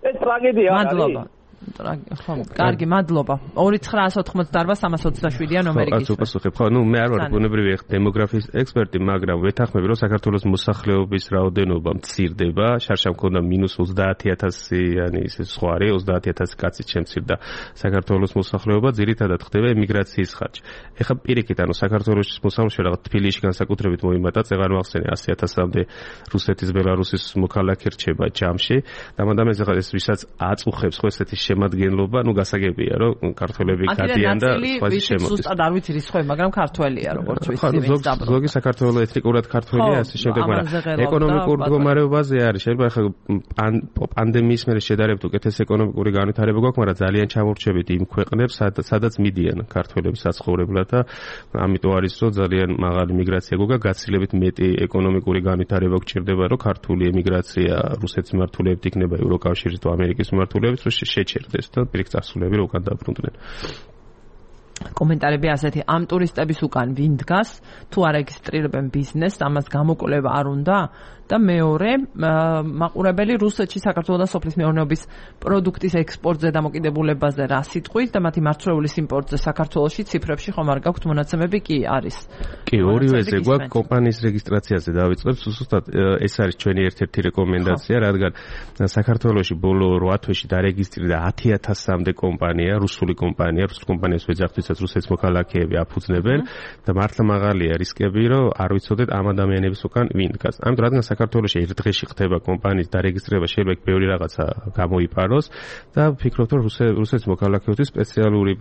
ეს ტრაგედია არის. მადლობა. ხო, კარგი, მადლობა. 2988-327-ია ნომერი გისურვებთ. უპასუხებ, ხო, მე არ ვარ ბუნებრივი დემოგრაფიის ექსპერტი, მაგრამ ვეთანხმები, რომ საქართველოს მოსახლეობის რაოდენობა მცირდება, შარშა მქონდა -30,000-იანი ისე სხვა არის, 30,000 კაცი შემცირდა საქართველოს მოსახლეობა, ძირითადად ხდება ემიგრაციის ხარჯი. ეხლა პირიქით, ანუ საქართველოს მოსახლეობა რაღაც თბილისში განსაკუთრებით მოიმატა, წეღარ მახსენე 100,000-მდე რუსეთის, ბელარუსის მოქალაქე რჩება ჯამში. დამადამეს ეხლა ეს ვისაც აწუხებს ხო ესეთი შემადგენლობა, ნუ გასაგებია, რომ ქართველები გადიან და სხვაი შემოდის. ზუსტად არ ვიცი რისხვე, მაგრამ ქართველია, როგორც ვიცი, ვინც დაბრუნდა. ზოგი საქართველოს ეთნიკურად ქართველია, ასე შემდეგ, მაგრამ ეკონომიკურ მდგომარეობაზე არის. შეიძლება ახლა პანდემიის მერე შედარებით უკეთეს ეკონომიკური განვითარება გვაქვს, მაგრამ ძალიან ჩამორჩებით იმ ქვეყნებს, სადაც მიდიან ქართველები საცხოვრებლად და ამიტომ არის, რომ ძალიან მაღალი მიგრაცია გვაქვს, გაცილებით მეტი ეკონომიკური განვითარება გვჭირდება, რომ ქართული ემიგრაცია რუსეთის მიმართულებით იქნება ევროკავშირის თუ ამერიკის მიმართულებით, რომ შეჩერდეს და პირიქით წარსულები რო უკან დაბრუნდნენ. კომენტარები ასეთი, ამ ტურისტების უკან ვინ დგას, თუ არეგისტრირებენ ბიზნესს, ამას გამოკვლევა არ უნდა, და მეორე მაყურებელი რუსეთში საქართველოს და სოფლის მეურნეობის პროდუქტის ექსპორტზე დამოკიდებულებაზე რა სიტყვით და მათი მარცვლეულის იმპორტზე საქართველოში ციფრებში ხომ არ გაქვთ მონაცემები კი არის. კი, ორივეზე გვაქვს კომპანიის რეგისტრაციაზე დავიწყებთ, ზუსტად ეს არის ჩვენი ერთ-ერთი რეკომენდაცია, რადგან საქართველოში ბოლო 8 თვეში დარეგისტრირდა 10,000-მდე კომპანია, რუსული კომპანიას ვეძახთვისაც რუსეთის მოქალაქეები აფუძნებენ და მართლა მაღალია რისკები, რომ არ ვიცოდეთ ამ ადამიანების უკან ვინ დგას. ამიტომ რადგან საქართველოში ერთ დღეში ხდება კომპანიის დარეგისტრირება, შეიძლება ბევრი რაღაცა გამოიპაროს და ვფიქრობთ, რომ რუსეთის მოქალაქეობის სპეციალური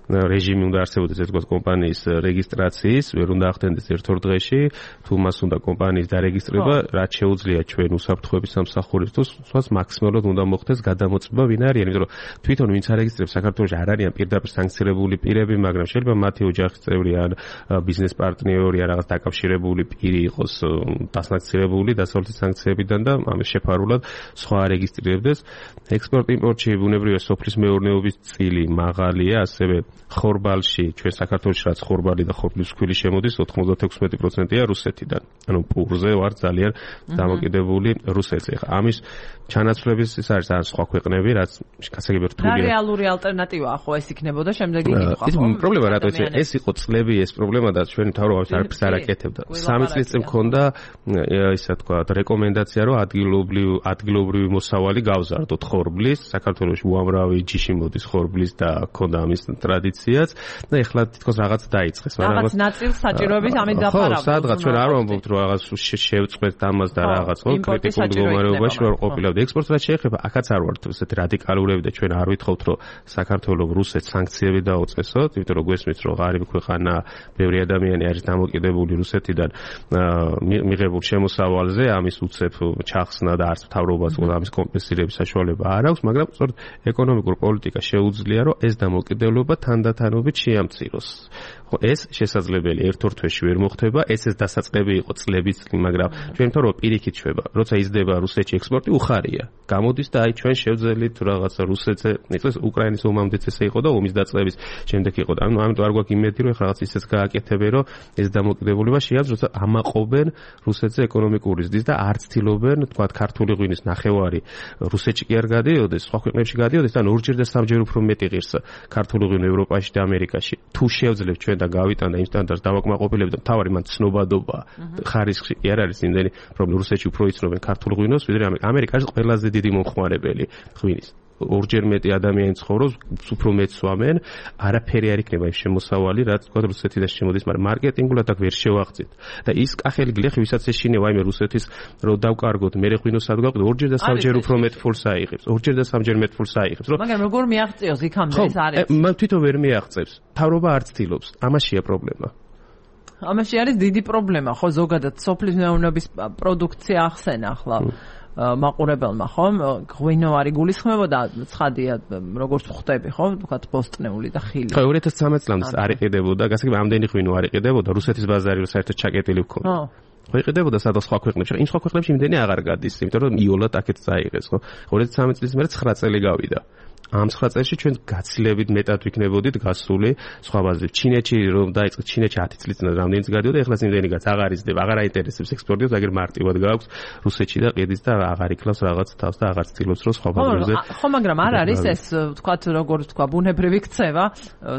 რეჟიმი უნდა არსებობდეს ეს კომპანიის რეგისტრაციის, ვერ უნდა ახდენდეს ერთ-ორ დღეში, თუ მას უნდა კომპანიის დარეგისტრირება, რაც შეუძლია ჩვენ უსაფრთხოების სამსახურისთვის მაქსიმალურად უნდა მოხდეს გადამოწმება ვინ არიან, იმიტომ რომ თვითონ ვინც არეგისტრირებს საქართველოში არ არიან პირდაპირ სანქცირებული პირები, მაგრამ შეიძლება მათი ოჯახის წევრი ან ბიზნეს პარტნიორი ან რაღაც დაკავშირებული პირი იყოს დასანქცირებული დასავლეთის სანქციებიდან და ამის შეფარულად სხვა არეგისტრირებდეს. ექსპორტ-იმპორტში ბუნებრივია სოფლის მეურნეობის წილი მაღალია, ასევე ხორბალში ჩვენ საქართველოში რაც ხორბალი და ხორბლის ქვილი შემოდის 96%-ია რუსეთიდან. ანუ პურზე ვარ ძალიან დამოკიდებული რუსეთზე. ამის ჩანაცვლების ის არის ან სხვა ქვეყნები, რაც გასაგები რთულია. რა რეალური ალტერნატივაა ხო ეს იქნებოდა შემდეგი კითხვა? ის პრობლემა რატო ეს იყო წლები ეს პრობლემა და ჩვენ თავრობას არაფერს არ აკეთებდა. 3 წლის წინ მქონდა ისა თქვა რეკომენდაცია რომ ადგილობრივი მოსავალი გავზარდოთ ხორბლის, საქართველოში უამრავი ჯიში მოდის ხორბლის და ქონდა ამის ტრადიციაც და ეხლა თითქოს რაღაც დაიწყეს, მაგრამ რაღაც ნაწილ საჭიროების ამით დაფარავდა. სადღაც ჩვენ არ ვამბობთ რომ რაღაც შევწყვეთ ამას და რაღაც ხო კრიტიკულ მდგომარეობაში ვარ ყოფილა. ექსპორტს რაც შეეხება, აქაც არ ვართ ესეთი რადიკალურები და ჩვენ არ ვითხოვთ რომ საქართველოს რუსეთს სანქციები დაუწესოთ, იმიტომ რომ გვესმის რომ ღარიბი ქვეყანა, ბევრი ადამიანი არის დამოკიდებული რუსეთიდან მიღებულ შემოსავალზე, ამის უცებ ჩახსნა და არც მთავრობას ამის კომპენსირების საშუალება არ აქვს, მაგრამ სწორედ ეკონომიკურ პოლიტიკა შეუძლია რომ ეს დამოკიდებულება თანდათანობით შეამციროს. ხო, ეს შესაძლებელი ერთ-ორ თვეში ვერ მოხდება, ეს დასაწყები იყო წლების წინ, მაგრამ ჩვენ თორე პირიქით შვება, როცა იზრდება რუსეთში ექსპორტი უხარია. გამოდის და აი ჩვენ შევძელით რაღაცა რუსეთზე, იწეს უკრაინის ომამდეც ესე იყო და ომის დაწყების შემდეგ იყო. ამიტომ არ გვაქვს იმედი, რომ რაღაც ისეც გააკეთებენ, რომ ეს დამოკიდებულება შეამციროს, როცა ამაყობენ რუსეთზე ეკონომიკური ზრდის და არ ცდილობენ, თქვა ქართული ღვინის ნახევარი რუსეთში კი არ გადიოდეს, სხვა ქვეყნებში გადიოდეს და ორჯერ და სამჯერ უფრო მეტი ღირს ქართული ღვინო ევროპაში და ამერიკაში. თუ შევძლებთ ჩვენ და გავიტანდა იმ სტანდარტს დავაკმაყოფილებით და თავარი მან ცნობადობა ხარისხი კი არ არის იმდენი პრობლემა. რუსეთში უფრო იცნობენ ქართულ ღვინოს, ვიდრე ამერიკა არის ყველაზე დიდი მომხმარებელი ღვინის. ორჯერ მეტი ადამიანი ცხოვრობს, უფრო მეტ სვამენ, არაფერი არ იქნება იმ შემოსავალი, რაც თქვა რუსეთიდან შემოდის, მაგრამ მარკეტინგულად აქ ვერ შევაღწევთ. და ის კახელი გლეხი, ვისაც ეშინია, ვაიმე რუსეთის რო დავკარგოთ, მე ღვინოს ადგვაყდო, ორჯერ და სამჯერ უფრო მეტ ფულს აიღებს. ორჯერ და სამჯერ მეტ ფულს აიღებს, რომ მაგრამ როგორ მიაღწევს იქამდე ეს არის? მან თვითონ ვერ მიაღწევს. თავრობა არ ცდილობს. ამაშია პრობლემა. ამაში არის დიდი პრობლემა, ხო, ზოგადად სოფლის მეურნეობის პროდუქცია ახსენა ახლა. მაყურებელმა ხომ ღვინო არ იგულისხმებოდა ცხადია როგორც ხვდები ხო ვთქვათ ბოსტნეული და ხილი ხო 2013 წლამდე არ იყიდებოდა გასაგები ამდენი ღვინო არ იყიდებოდა რუსეთის ბაზარი საერთოდ ჩაკეტილი ვქონდა ხო იყიდებოდა სადაც სხვა ქვეყნებში იმ სხვა ქვეყნებში იმდენი აღარ გადის იმიტომ რომ იოლად აქეთ წაიღეს ხო 2013 წლის მერე 9 წელი გავიდა ამ 9 წელში ჩვენ გაცილებით მეტად ვიქნებოდით გასული სხვა ბაზრებში. ჩინეთში რომ დაიწყეს ჩინეთში 10 წლის წინ რამდენიც გადიოდა, ეხლა იმდენიგაც აღარ იზრდება, აღარ აინტერესებს ექსპორტიოს, აგერ მარტივად გააქვს რუსეთში და ყიდის და აღარ იკლავს რაღაც თავს და აღარ ცდილობს რომ სხვა ბაზრებზე. ხო, მაგრამ არ არის ეს ვთქვათ როგორ ვთქვა ბუნებრივი ქცევა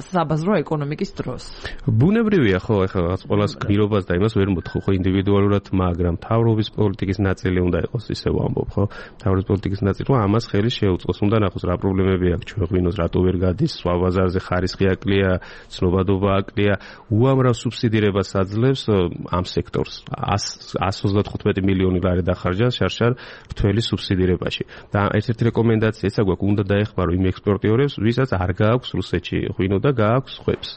საბაზრო ეკონომიკის დროს. ბუნებრივია ხო, ეხლა რაღაც ყოველას გმირობას და იმას ვერ მოთხო ხო ინდივიდუალურად, მაგრამ თავრობის პოლიტიკის ნაწილი უნდა იყოს ისე ვამბობ ხო. თავრობის პოლიტიკის ნაწილი რომ ამას ხელი შეუწყოს, უნდა ნახოს რა პრობლემები აქ ჩვენ ღვინოს რატო ვერ გადის სხვა ბაზარზე ხარისხი აკლია ცნობადობა აკლია უამრავ სუბსიდირებას აძლევს ამ სექტორს 135 მილიონი ლარი დახარჯა შარშან რთველი სუბსიდირებაში და ერთ-ერთი რეკომენდაცია ესა გვაქვს უნდა დაეხმარო იმ ექსპორტიორებს ვისაც არ გააქვს რუსეთში ღვინო და გააქვს ხვებს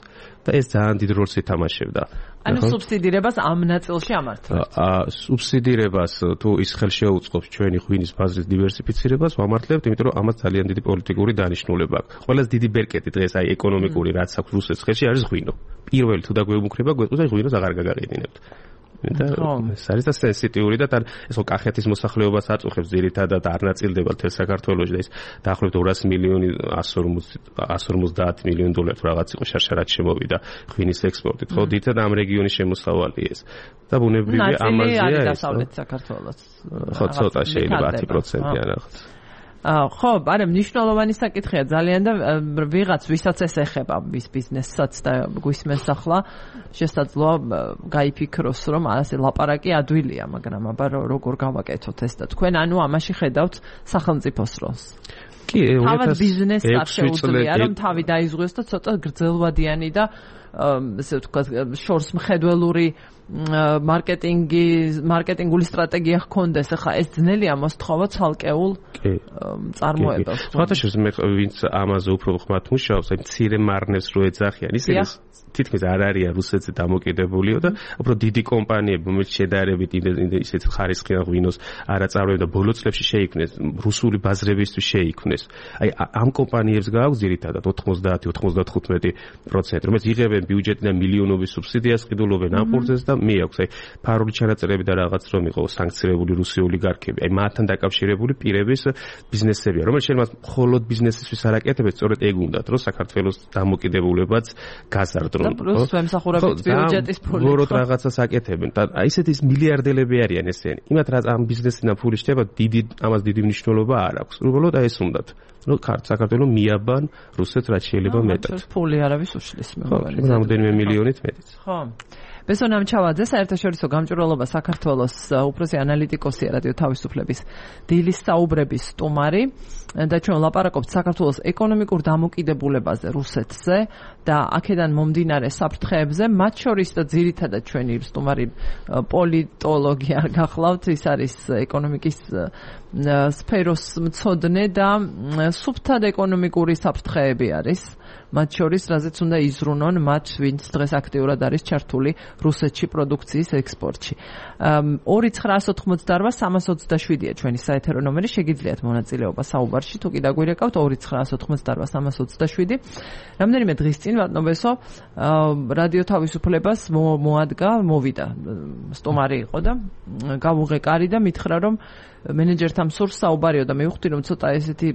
და ეს ძალიან დიდ როლს ითამაშებდა ანუ სუბსიდირებას ამ ნაწილში ამართლებთ. სუბსიდირებას თუ ის ხელშეუწყობს ჩვენი ღვინის ბაზრის დივერსიფიცირებას ვამართლებთ, იმიტომ რომ ამას ძალიან დიდი პოლიტიკური დანიშნულება აქვს. ყველაზე დიდი ბერკეტი დღეს აი ეკონომიკური რაც აქვს რუსეთის ხელში არის ღვინო. პირველი თუ დაგვეუბნქრება, გვეტყვის აი ღვინოს აღარ გაგაყიდინებთ. და ეს არის და სენსიტიური და ეს ხო კახეთის მოსახლეობას აწუხებს ძირითადად არ ნაწილდება თელ საქართველოში და ის დაახლოებით 200 მილიონი 150 მილიონი დოლარი რაღაც იყო შარშარად შემოვიდა ღვინის ექსპორტით. ხო დიდად ამ რეგიონის შემოსავალი ეს და ბუნებრივია ამაზეა ეს. დასავლეთ საქართველოს. ხო ცოტა შეიძლება 10% ან რაღაც. ხო, არა მნიშვნელოვანი საკითხია ძალიან და ვიღაც ვისაც ეს ეხება ვის ბიზნესსაც და გვისმენს ახლა შესაძლოა გაიფიქროს რომ ასე ლაპარაკი ადვილია, მაგრამ აბა როგორ გავაკეთოთ ეს და თქვენ ანუ ამაში ხედავთ სახელმწიფოს როლს. კი, თავად ბიზნესს არ შეუძლია რომ თავი დაიზღვიოს და ცოტა გრძელვადიანი და ესე ვთქვათ შორს მხედველური მარკეტინგული სტრატეგია ჰქონდეს. ახლა ეს ძნელია მოსთხოვა ცალკეულ წარმოებას. სხვათაშორის მე ვინც ამაზე უფრო ხმათ მუშაობს, აი მცირე მარნებს რო ეძახიან, ისინი თითქმის არ არიან რუსეთზე დამოკიდებულიო და უფრო დიდი კომპანიები, რომელიც შედარებით ისეთ ხარისხიან ღვინოს არ აწარმოებენ და ბოლო წლებში შეიქმნეს რუსული ბაზრებისთვის შეიქმნეს. აი ამ კომპანიებს გააქვს ძირითადად 90-95%, რომელიც იღებენ ბიუჯეტიდან მილიონობის სუბსიდიას, ყიდულობენ ამ პროცესს და მიაქვს აი ფარული ჩანაწერები და რაღაც რომ იყო სანქცირებული რუსი ოლიგარქები. აი მათთან დაკავშირებული პირების ბიზნესებია, რომელიც შეიძლება მხოლოდ ბიზნესისთვის არ აკეთებენ, სწორედ ეგ უნდათ, რომ საქართველოს დამოკიდებულებაც გაზარდონ. პლუს ემსახურებით ბიუჯეტის ფული. უბრალოდ რაღაცას აკეთებენ და აი ესეთი მილიარდელები არიან ესენი. იმათ რა ამ ბიზნესიდან ფული შეება, ამას დიდი მნიშვნელობა არ აქვს. უბრალოდ აი ეს უნდათ. რომ საქართველოს მიაბან რუსეთს რაც შეიძლება მეტად. ფული არავის უშლის მე. ხო, რამდენიმე მილიონით მეტიც. ხო. ბესონ ამჩავაძე საერთაშორისო გამჭვირვალობა საქართველოს უფროსი ანალიტიკოსია რადიო თავისუფლების დილის საუბრების სტუმარი და ჩვენ ლაპარაკობთ საქართველოს ეკონომიკურ დამოკიდებულებაზე რუსეთზე და აქედან მომდინარე საფრთხეებზე, მათ შორის და ძირითადად ჩვენი სტუმარი პოლიტოლოგი არ გახლავთ, ის არის ეკონომიკის სფეროს მცოდნე და სუფთად ეკონომიკური საფრთხეები არის. მათ შორის, რაზეც უნდა იზრუნონ მათ, ვინც დღეს აქტიურად არის ჩართული რუსეთში პროდუქციის ექსპორტში. 2988-327-ია ჩვენი საეთერო ნომერი, შეგიძლიათ მონაწილეობა საუბარში, თუ კი დაგვირეკავთ 2988-327. რამდენიმე დღის წინ ვატნობესო რადიო თავისუფლებას მოვიდა სტუმარი იყო და გავუღეკარი და მითხრა რომ მენეჯერთან სურს საუბარიო და მივხვდი რომ ცოტა ესეთი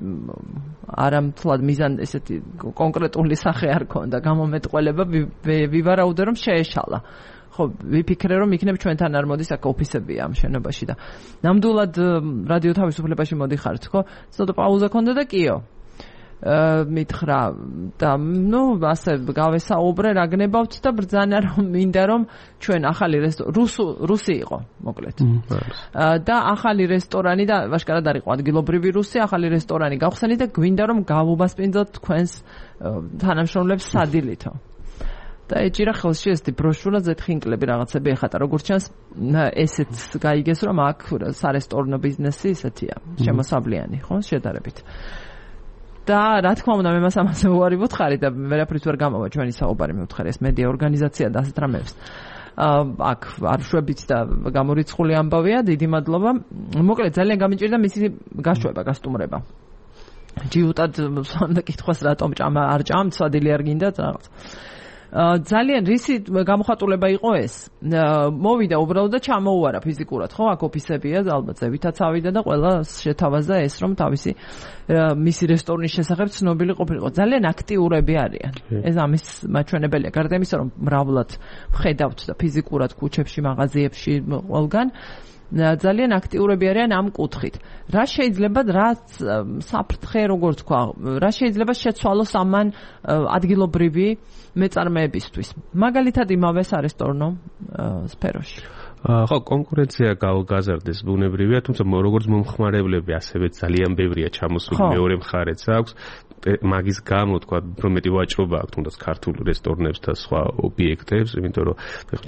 არამთლად მიზან ესეთი კონკრეტული სახე არ ქონდა გამომეტყველება ვივარაუდე რომ შეეშალა. ხო, ვიფიქრე რომ იქნებ ჩვენთან არ მოდის აქ ოფისებია ამ შენობაში და ნამდვილად რადიო თავისუფლებაში მოდიხართ, ხო? ცოტა პაუზა ქონდა და კიო. მითხრა და ნუ ასე გავესაუბრე რა გნებავთ და ბრძანა რომ მინდა რომ ჩვენ ახალი რუსი იყო მოკლედ და ახალი რესტორანი და ვაშკარად არ იყო ადგილობრივი რუსი ახალი რესტორანი გავხსენით და გვინდა რომ გავუბასპინდოთ თქვენს თანამშრომლებს სადილითო და ეჭირა ხელში ესეთი ბროშურა ზეთხინკლები რაღაცები ეხატა როგორც ჩანს ესეც გაიგეს რომ აქ სარესტორნო ბიზნესი ესეთია შემოსავლიანი ხო შედარებით და რა თქმა უნდა მე მას ამაზე უარი ვუთხარი და ვერაფრით ვერ გამავა ჩვენი საუბარი მივთხარი ეს მედია ორგანიზაცია და ასეთ რამეებს აქ არ შვებით და გამორიცხული ამბავია დიდი მადლობა მოკლედ ძალიან გამიჭირდა მისი გაშვება გასტუმრება ჯიუტად სანდა კითხვას რატომ ჭამა არ ჭამთ სვადილი არ გინდათ რაღაც ძალიან რისი გამოხატულება იყო ეს მოვიდა უბრალოდ და ჩამოუარა ფიზიკურად ხო აქ ოფისებია ალბათ ზევითაც ავიდა და ყველა შეთავაზა ეს რომ თავისი მისი რესტორნის შესახებ ცნობილი ყოფილიყო ძალიან აქტიურები არიან ეს ამის მაჩვენებელია გარდა იმისა რომ მრავლად ვხედავთ და ფიზიკურად ქუჩებში მაღაზიებში ყველგან ძალიან აქტიურები არიან ამ კუთხით. რა შეიძლება რაც საფრთხე როგორ თქვა, რა შეიძლება შეცვალოს ამან ადგილობრივი მეწარმეებისთვის. მაგალითად იმავე სარესტორნო სფეროში. ხო, კონკურენცია გავგაზარდეს ბუნებრივია, თუმცა როგორც მომხმარებლები, ასევე ძალიან ბევრია ჩამოსული მეორე მხარეც აქვს. მაგის გამო თქვა, უფრო მეტი ვაჭრობა აქვს თუნდაც ქართულ რესტორნებს და სხვა ობიექტებს, იმიტომ რომ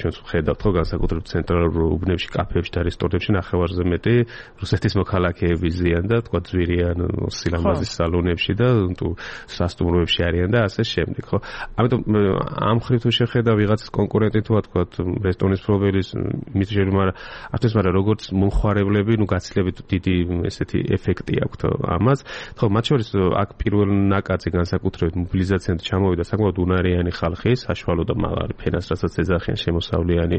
ჩვენ ვხედავთ ხო განსაკუთრებით ცენტრალურ უბნებში, კაფეებში და რესტორნებში ნახევარზე მეტი რუსეთის მოქალაქეები ზიან და თქვა ძვირიან სილამაზის სალონებში და თუ სასტუმროებში არიან და ასე შემდეგ, ხო? ამიტომ ამ ხრივ თუ შეხედა ვიღაც კონკურენტი თუ თქვა რესტორნის პრობელის მისჯერმა, მაგრამ როგორც მომხმარებლები, გაცილებით დიდი ესეთი ეფექტი აქვთ ამას. ხო, მათ შორის აქ პირველ ნაკადზე განსაკუთრებით მობილიზაციამდე ჩამოვიდა საკმაოდ უნარიანი ხალხი, საშუალო და მაღალი ფენას, რასაც ეძახიან შემოსავლიანი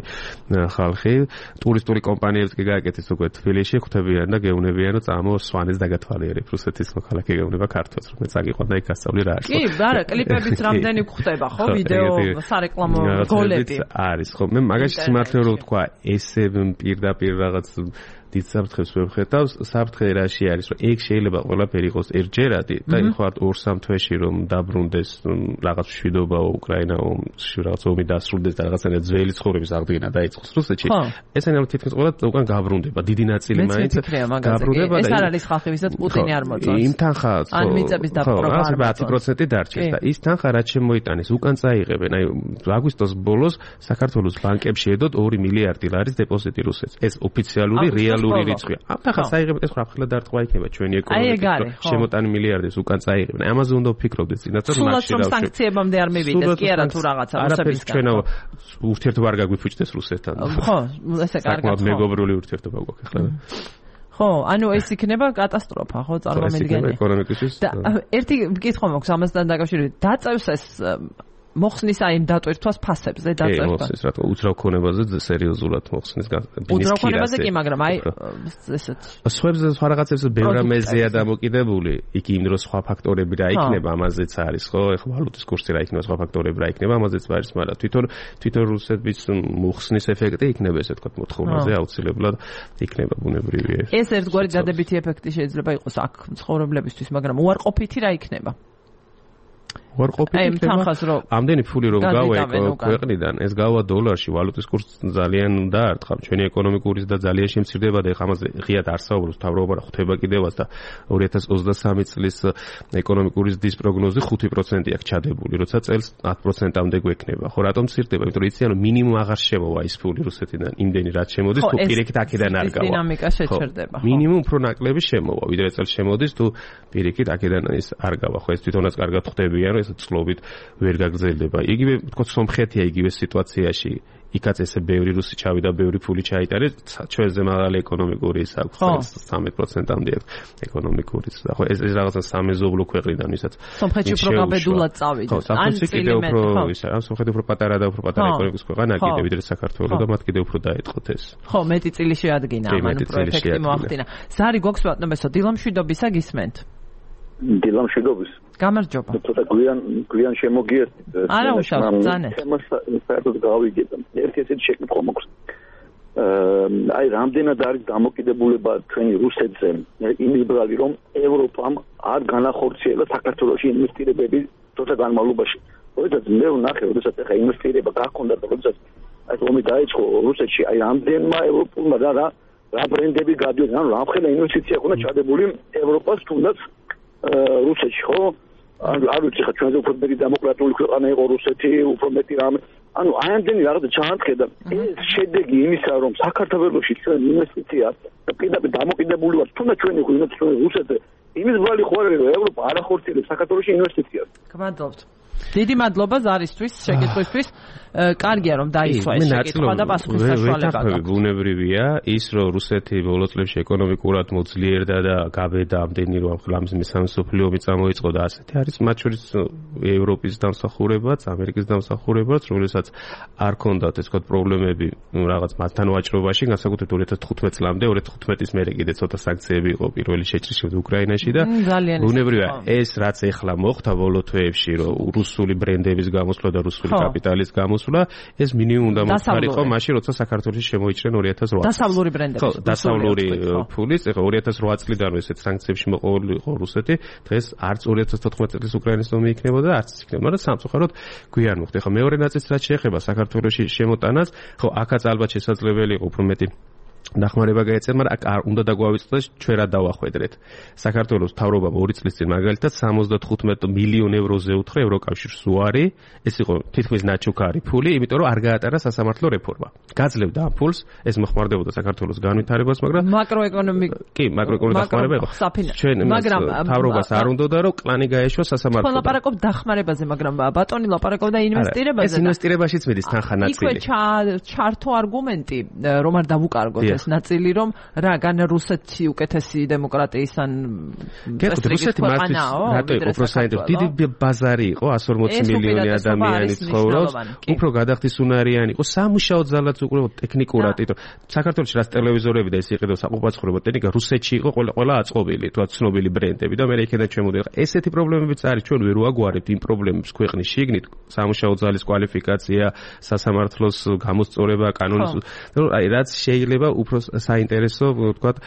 ხალხი. ტურისტული კომპანიებს კი გააკეთეს უკვე თბილისში, ხვდებიან და გეუბნებიან, რომ წამო სვანეთს დაგათვალიერებ რუსეთის მოქალაქე გეუბნება ქართულს, რომ მეც აგიყვანდა იქ გასწავლი რა არის. კი, არა, კლიპებიც რამდენი გვხვდება, ხო, ვიდეო სარეკლამო გოლები. არის, ხო, მე მაგაში სიმართლე რომ ვთქვა, ესე პირდაპირ რაღაც დიდ საფრთხეს ვერ ხედავს, საფრთხე რაში არის, რომ ეგ შეიძლება ყველაფერი იყოს ერთჯერადი და ეხوار 2-3 თვეში რომ დაბრუნდეს რაღაც მშვიდობა უკრაინაში, რაღაც ომი დასრულდეს და რაღაცა ძველი ცხოვრების აღდგენა დაიწყოს რუსეთში. ესენი ამ თითქმის ყველა უკან გაბრუნდება, დიდი ნაწილი მაინც გაბრუნდება და ეს არ არის ხალხი, ვისაც პუტინი არ მოწონს. იმ თანხა, ან მიწების დაპყრობა 10% დარჩეს და ის თანხა რაც შემოიტანეს, უკან წაიღებენ. აი აგვისტოს ბოლოს საქართველოს ბანკებში ედოთ 2 მილიარდი ლარის დეპოზიტი რუსეთს. ეს ოფიციალური რეალური რიცხვია. ამ თანხას აიღებენ, ეს ხაფხილა დარტყმა იქნება ჩვენი ეკონომიკის შემოტანი მილიარდის უკან წაიღებენ. ამაზე უნდა ვფიქრობდეთ წინათ რომ მასში რა სანქციებამდე არ მივიდეს, კი არა თუ რაღაცა რუსებისგან. ჩვენო ურთიერთობა არ გაგვიფუჭდეს რუსეთთან. ხო, ესე კარგად. საკმაოდ მეგობრული ურთიერთობა გვაქვს ახლა. ხო, ანუ ეს იქნება კატასტროფა, ხო, წარმომიდგენია. ეკონომიკისთვის. და ერთი კითხვა მაქვს ამასთან დაკავშირებით. დაწევს ეს მოხსნის აი იმ დატვირთვას ფასებზე დაწევს. მოხსნის რა თქმა უნდა უძრავ ქონებაზე სერიოზულად მოხსნის უძრავ ქონებაზე კი, მაგრამ აი ესეთ სხვებზე სხვა რაღაცებზე ბევრ ამაზეა დამოკიდებული. იქ იმ დროს სხვა ფაქტორები რა იქნება, ამაზეც არის, ხო? ეხლა ვალუტის კურსი რა იქნება, სხვა ფაქტორები რა იქნება, ამაზეც არის, მაგრამ თვითონ რუსეთის მოხსნის ეფექტი იქნება, ესე ვთქვათ, მოთხოვნაზე აუცილებლად იქნება ბუნებრივია. ეს ერთგვარი დადებითი ეფექტი შეიძლება იყოს აქ მცხოვრებლებისთვის, მაგრამ უარყოფითი რა იქნება? უარყოფითი იქნება. ამდენი ფული რომ გავა ქვეყნიდან, ეს გავა დოლარში, ვალუტის კურსი ძალიან დაარტყა. ჩვენი ეკონომიკური და ძალიან შემცირდება და ეხლა ამაზე ღიად არ საუბრობს მთავრობა, ხვდება კიდევაც და 2023 წლის ეკონომიკური ზრდის პროგნოზი 5% აქვს ჩადებული, როცა წელს 10%-ამდე გვექნება. ხო, რატომ მცირდება? იმიტომ რომ იციან რომ მინიმუმ აღარ შემოვა ის ფული რუსეთიდან, იმდენი რაც შემოდის, თუ პირიქით აქედან არ გავა. დინამიკა შეჩერდება. მინიმუმ უფრო ნაკლები შემოვა, ვიდრე წელს შემოდის, თუ პირიქით აქედან ის არ გავა. ხო, ეს თვითონაც კარგად ხვდებიან, ეს წლობით ვერ გაგრძელდება. იგივე თქო სომხეთია იგივე სიტუაციაში. იქაც ესე ბევრი რუსი ჩავიდა, ბევრი ფული ჩაიტარეს, ჩვენზე მაღალი ეკონომიკური ის აქვს, 13%-ამდე აქვს ეკონომიკური. ხო, ეს რაღაცა სამეზობლო ქვეყნიდან, ვისაც სომხეთში უფრო გაბედულად წავიდა. ან კიდევ უფრო ისა, ან სომხეთი უფრო პატარა და უფრო პატარა ეკონომიკის ქვეყანა, კიდევ ვიდრე საქართველო და მათ კიდევ უფრო დაეწყოთ ეს. ხო, მეტი წილი შეადგინა, ამან პროექტი მოახდინა. ზარი გვაქვს ბატონებსო, დილამშვიდობისა გისმენთ. დილამშვიდობის. გამარჯობა. ცოტა გვიან შემოგიერთით. არა უშავს, ძანე. თემას საერთოდ გავიგეთ. ერთი ესეთი შეკითხვა მაქვს. აი რამდენად არის დამოკიდებულება ჩვენი რუსეთზე იმიბრალი, რომ ევროპამ არ განახორციელა საქართველოში ინვესტირებები ცოტა განმავლობაში. როდესაც მე ვნახე, როდესაც ახლა ინვესტირება გაქონდა და როდესაც აი ომი დაიწყო რუსეთში, აი ამდენმა ევროპულმა რა ბრენდები გადიოდნენ, ანუ რამხელა ინვესტიცია ქონდა ჩადებული ევროპას თუნდაც რუსეთში, ხო? არ ვიცი ხა ჩვენზე უფრო მეტი დემოკრატიული ქვეყანა იყო რუსეთი, უფრო მეტი რამე. ანუ აი ამდენი რაღაცა ჩაანთქედა. ეს შედეგი იმისა, რომ საქართველოში ჩვენ ინვესტიცია და პირდაპირ დამოკიდებული ვართ, თუნდაც ჩვენი რუსეთზე, იმის ბრალი ხო არის, რომ ევროპა არ ახორციელებს საქართველოში ინვესტიციას. გმადლობთ. დიდი მადლობა ზარისთვის, შეკითხვისთვის. კარგია რომ დაისვა ეს შეკითხვა და პასუხის საშუალება გაქვს. ბუნებრივია ის რომ რუსეთი ბოლო წლებში ეკონომიკურად მოძლიერდა და გაბედა ამდენი რომ ხლამის მესამე მსოფლიო ომი წამოიწყო და ასეთი არის მათ შორის ევროპის დამსახურებაც, ამერიკის დამსახურებაც, რომელსაც არ ქონდათ ეს თქვა პრობლემები რაღაც მათთან ვაჭრობაში, განსაკუთრებით 2015 წლამდე, 2015-ის მერე კიდე ცოტა სანქციები იყო პირველი შეჭრილი უკრაინაში და ბუნებრივია ეს რაც ეხლა მოხდა ბოლო თვეებში რომ რუსული ბრენდების გამოსვლა და რუსული კაპიტალის გამოსვლა ეს მინიმუმ უნდა მოხარიყო მაშინ როცა საქართველოში შემოიჭრენ 2008 დასავლური ბრენდები. ხო, დასავლური ფულის, ეხლა 2008 წლიდან ესეთ სანქციებში მოყოლი იყო რუსეთი, დღეს არც 2014 წლის უკრაინის ომი იქნებოდა და არც იქნება, მაგრამ სამწუხაროდ გვიან მოხდა. ეხლა მეორე ნაწილს რაც შეეხება საქართველოში შემოტანას, ხო, აქაც ალბათ შესაძლებელი იყო უფრო მეტი დახმარება გაეწია, მაგრამ არ უნდა დაგვავიწყდეს ჩვენ რა დავახვედრეთ. საქართველოს მთავრობამ 2 წლის წინ მაგალითად 75 მილიონ ევროზე უთხრა ევროკავშირს უარი, ეს იყო თითქმის ნაჩუქარი ფული, იმიტომ რომ არ გაატარა სასამართლო რეფორმა. გაძლევდა ამ ფულს, ეს მოხმარდებოდა საქართველოს განვითარებას, მაგრამ მაკროეკონომიკური დახმარება იყო. ჩვენ მთავრობას არ უნდოდა რომ კლანი გაეშვა სასამართლო. ყველა ლაპარაკობ დახმარებაზე, მაგრამ ბატონი ლაპარაკობდა ინვესტირებაზე. ეს ინვესტირებაშიც მიდის თანხა ნაწილი. იქვე ჩართო არგუმენტი, რომ არ დავუკარგოთ ეს ნაწილი, რომ რა გან რუსეთი უკეთესი დემოკრატიის ან რუსეთი რატო იყო პროსაინტერესო დიდი ბაზარი იყო 140 მილიონი ადამიანი ცხოვრობს, უფრო გადახდისუნარიანი იყო, სამუშაო ძალაც უკვე ტექნიკურად, იმიტომ საქართველოში რაც ტელევიზორები და ეს იყიდო საყოფაცხოვრებო ტექნიკა რუსეთში იყო ყველა აწყობილი, თქვა ცნობილი ბრენდები და მე იქიდან ჩემოდიოდა. ესეთი პრობლემებიც არის, ჩვენ ვერ ვაგვარებთ იმ პრობლემებს ქვეყნის შიგნით, სამუშაო ძალის კვალიფიკაცია, სასამართლოს გამოსწორება, კანონის, აი რაც შეიძლება უფრო საინტერესო, ვთქვათ,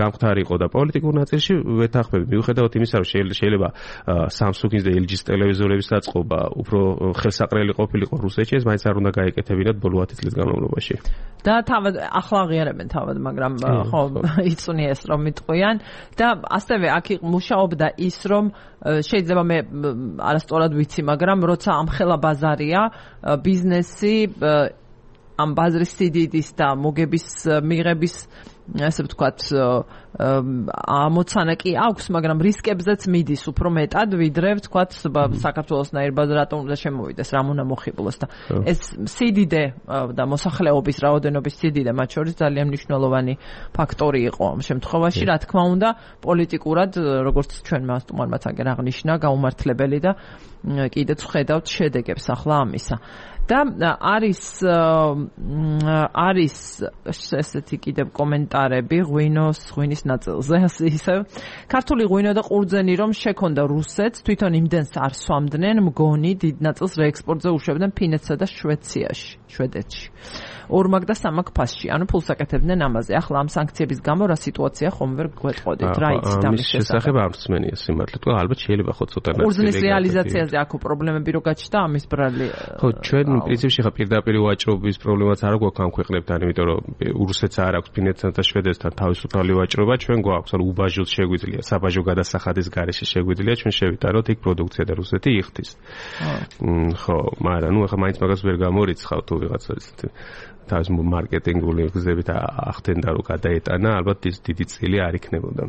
გამختارიყო და პოლიტიკურ ნაწილში ვეთანხმები. მიუხედავად იმისა, რომ შეიძლება Samsung-ის და LG-ის ტელევიზორების დაწყობა უფრო ხელსაყრელი ყოფილიყო რუსეთში, ეს მაინც არ უნდა გაეკეთებინათ ბოლო 10 წლის განმავლობაში. და თავად ახლა აღიარებენ თავად, მაგრამ ხო იწუნია ეს რომ მიტყვიან და ასევე აქ მუშაობდა ის, რომ შეიძლება მე არასწორად ვიცი, მაგრამ როცა ამხელა ბაზარია, ბიზნესი ამ ბაზრის სიდიდის და მოგების მიღების ასე ვთქვათ ამოცანა კი აქვს, მაგრამ რისკებზეც მიდის უფრო მეტად, ვიდრე ვთქვათ საქართველოსნაირ ბაზარ რატომ უნდა შემოვიდეს, რამ უნდა მოხიბლოს და ეს სიდიდე და მოსახლეობის რაოდენობის სიდიდე მათ შორის ძალიან მნიშვნელოვანი ფაქტორი იყო ამ შემთხვევაში, რა თქმა უნდა, პოლიტიკურად, როგორც ჩვენმა სტუმარმაც აგერ აღნიშნა, გაუმართლებელი და კიდეც ხედავთ შედეგებს ახლა ამისა. და არის ესეთი კიდევ კომენტარები ღვინის ნაწილზე, ისევ ქართული ღვინო და ყურძენი რომ შექონდა რუსეთს, თვითონ იმდენს არ სვამდნენ, მგონი დიდ ნაწილს რეექსპორტზე უშვებდნენ ფინეთსა და შვედეთში. ორმაგ და სამაგ ფასში, ანუ ფულს აკეთებდნენ ამაზე. ახლა ამ სანქციების გამო რა სიტუაცია ხომ ვერ გვეტყოდით, რა იცით ამის შესახებ ამსმენია სიმართლე, თქვა ალბათ შეიძლება ხო ცოტა ყურძნის რეალიზაციაზე აქ პრობლემები რო გაჩნდა ამის ბრალი. ხო, ჩვენ პრინციპში ხა პირდაპირ ვაჭრობის პრობლემაც არ გვაქვს ამ ქვეყნებთან, იმიტომ რომ რუსეთს არ აქვს ფინეთსთან და შვედეთთან თავისუფალი ვაჭრობა, ჩვენ გვაქვს, ანუ უბაჟოს შეგვიძლია, საბაჟო გადასახადის გარეშე შეგვიძლია ჩვენ შევიტაროთ იქ პროდუქცია და რუსეთი იხდის. ხო, მაგრამ ნუ ახლა მაინც მაგას ვერ გამორიცხავ თუ ვიღაცა ისეთი თავის მარკეტინგული გზებით ახდენდა რომ გადაეტანა, ალბათ ის დიდი წილი არ იქნებოდა.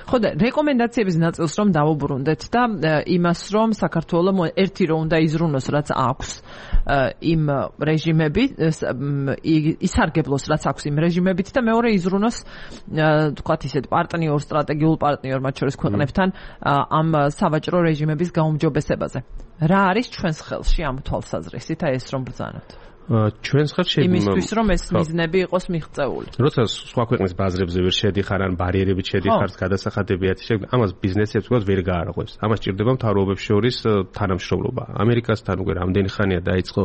ხო და რეკომენდაციების ნაწილს რომ დავუბრუნდეთ და იმას რომ საქართველოს ერთი რომ უნდა იზრუნოს რაც აქვს იმ რეჟიმებით, ისარგებლოს რაც აქვს იმ რეჟიმებით და მეორე იზრუნოს თქვათ ისეთ სტრატეგიულ პარტნიორ მათ შორის ქვეყნებთან ამ სავაჭრო რეჟიმების გაუმჯობესებაზე. რა არის ჩვენს ხელში ამ თვალსაზრისით ეს რომ ბრძანოთ? ჩვენს ხელში იმისთვის რომ ეს მიზნები იყოს მიღწეული. როცა სხვა ქვეყნის ბაზრებზე ვერ შედიხარ ან ბარიერებით შედიხარ, გადასახადებიათ შეგვიძლია, ამას ბიზნესებს უკვე ვერ გაარღვევს. ამას ჭირდება მთავრობებს შორის თანამშრომლობა. ამერიკასთან უკვე რამდენი ხანია დაიწყო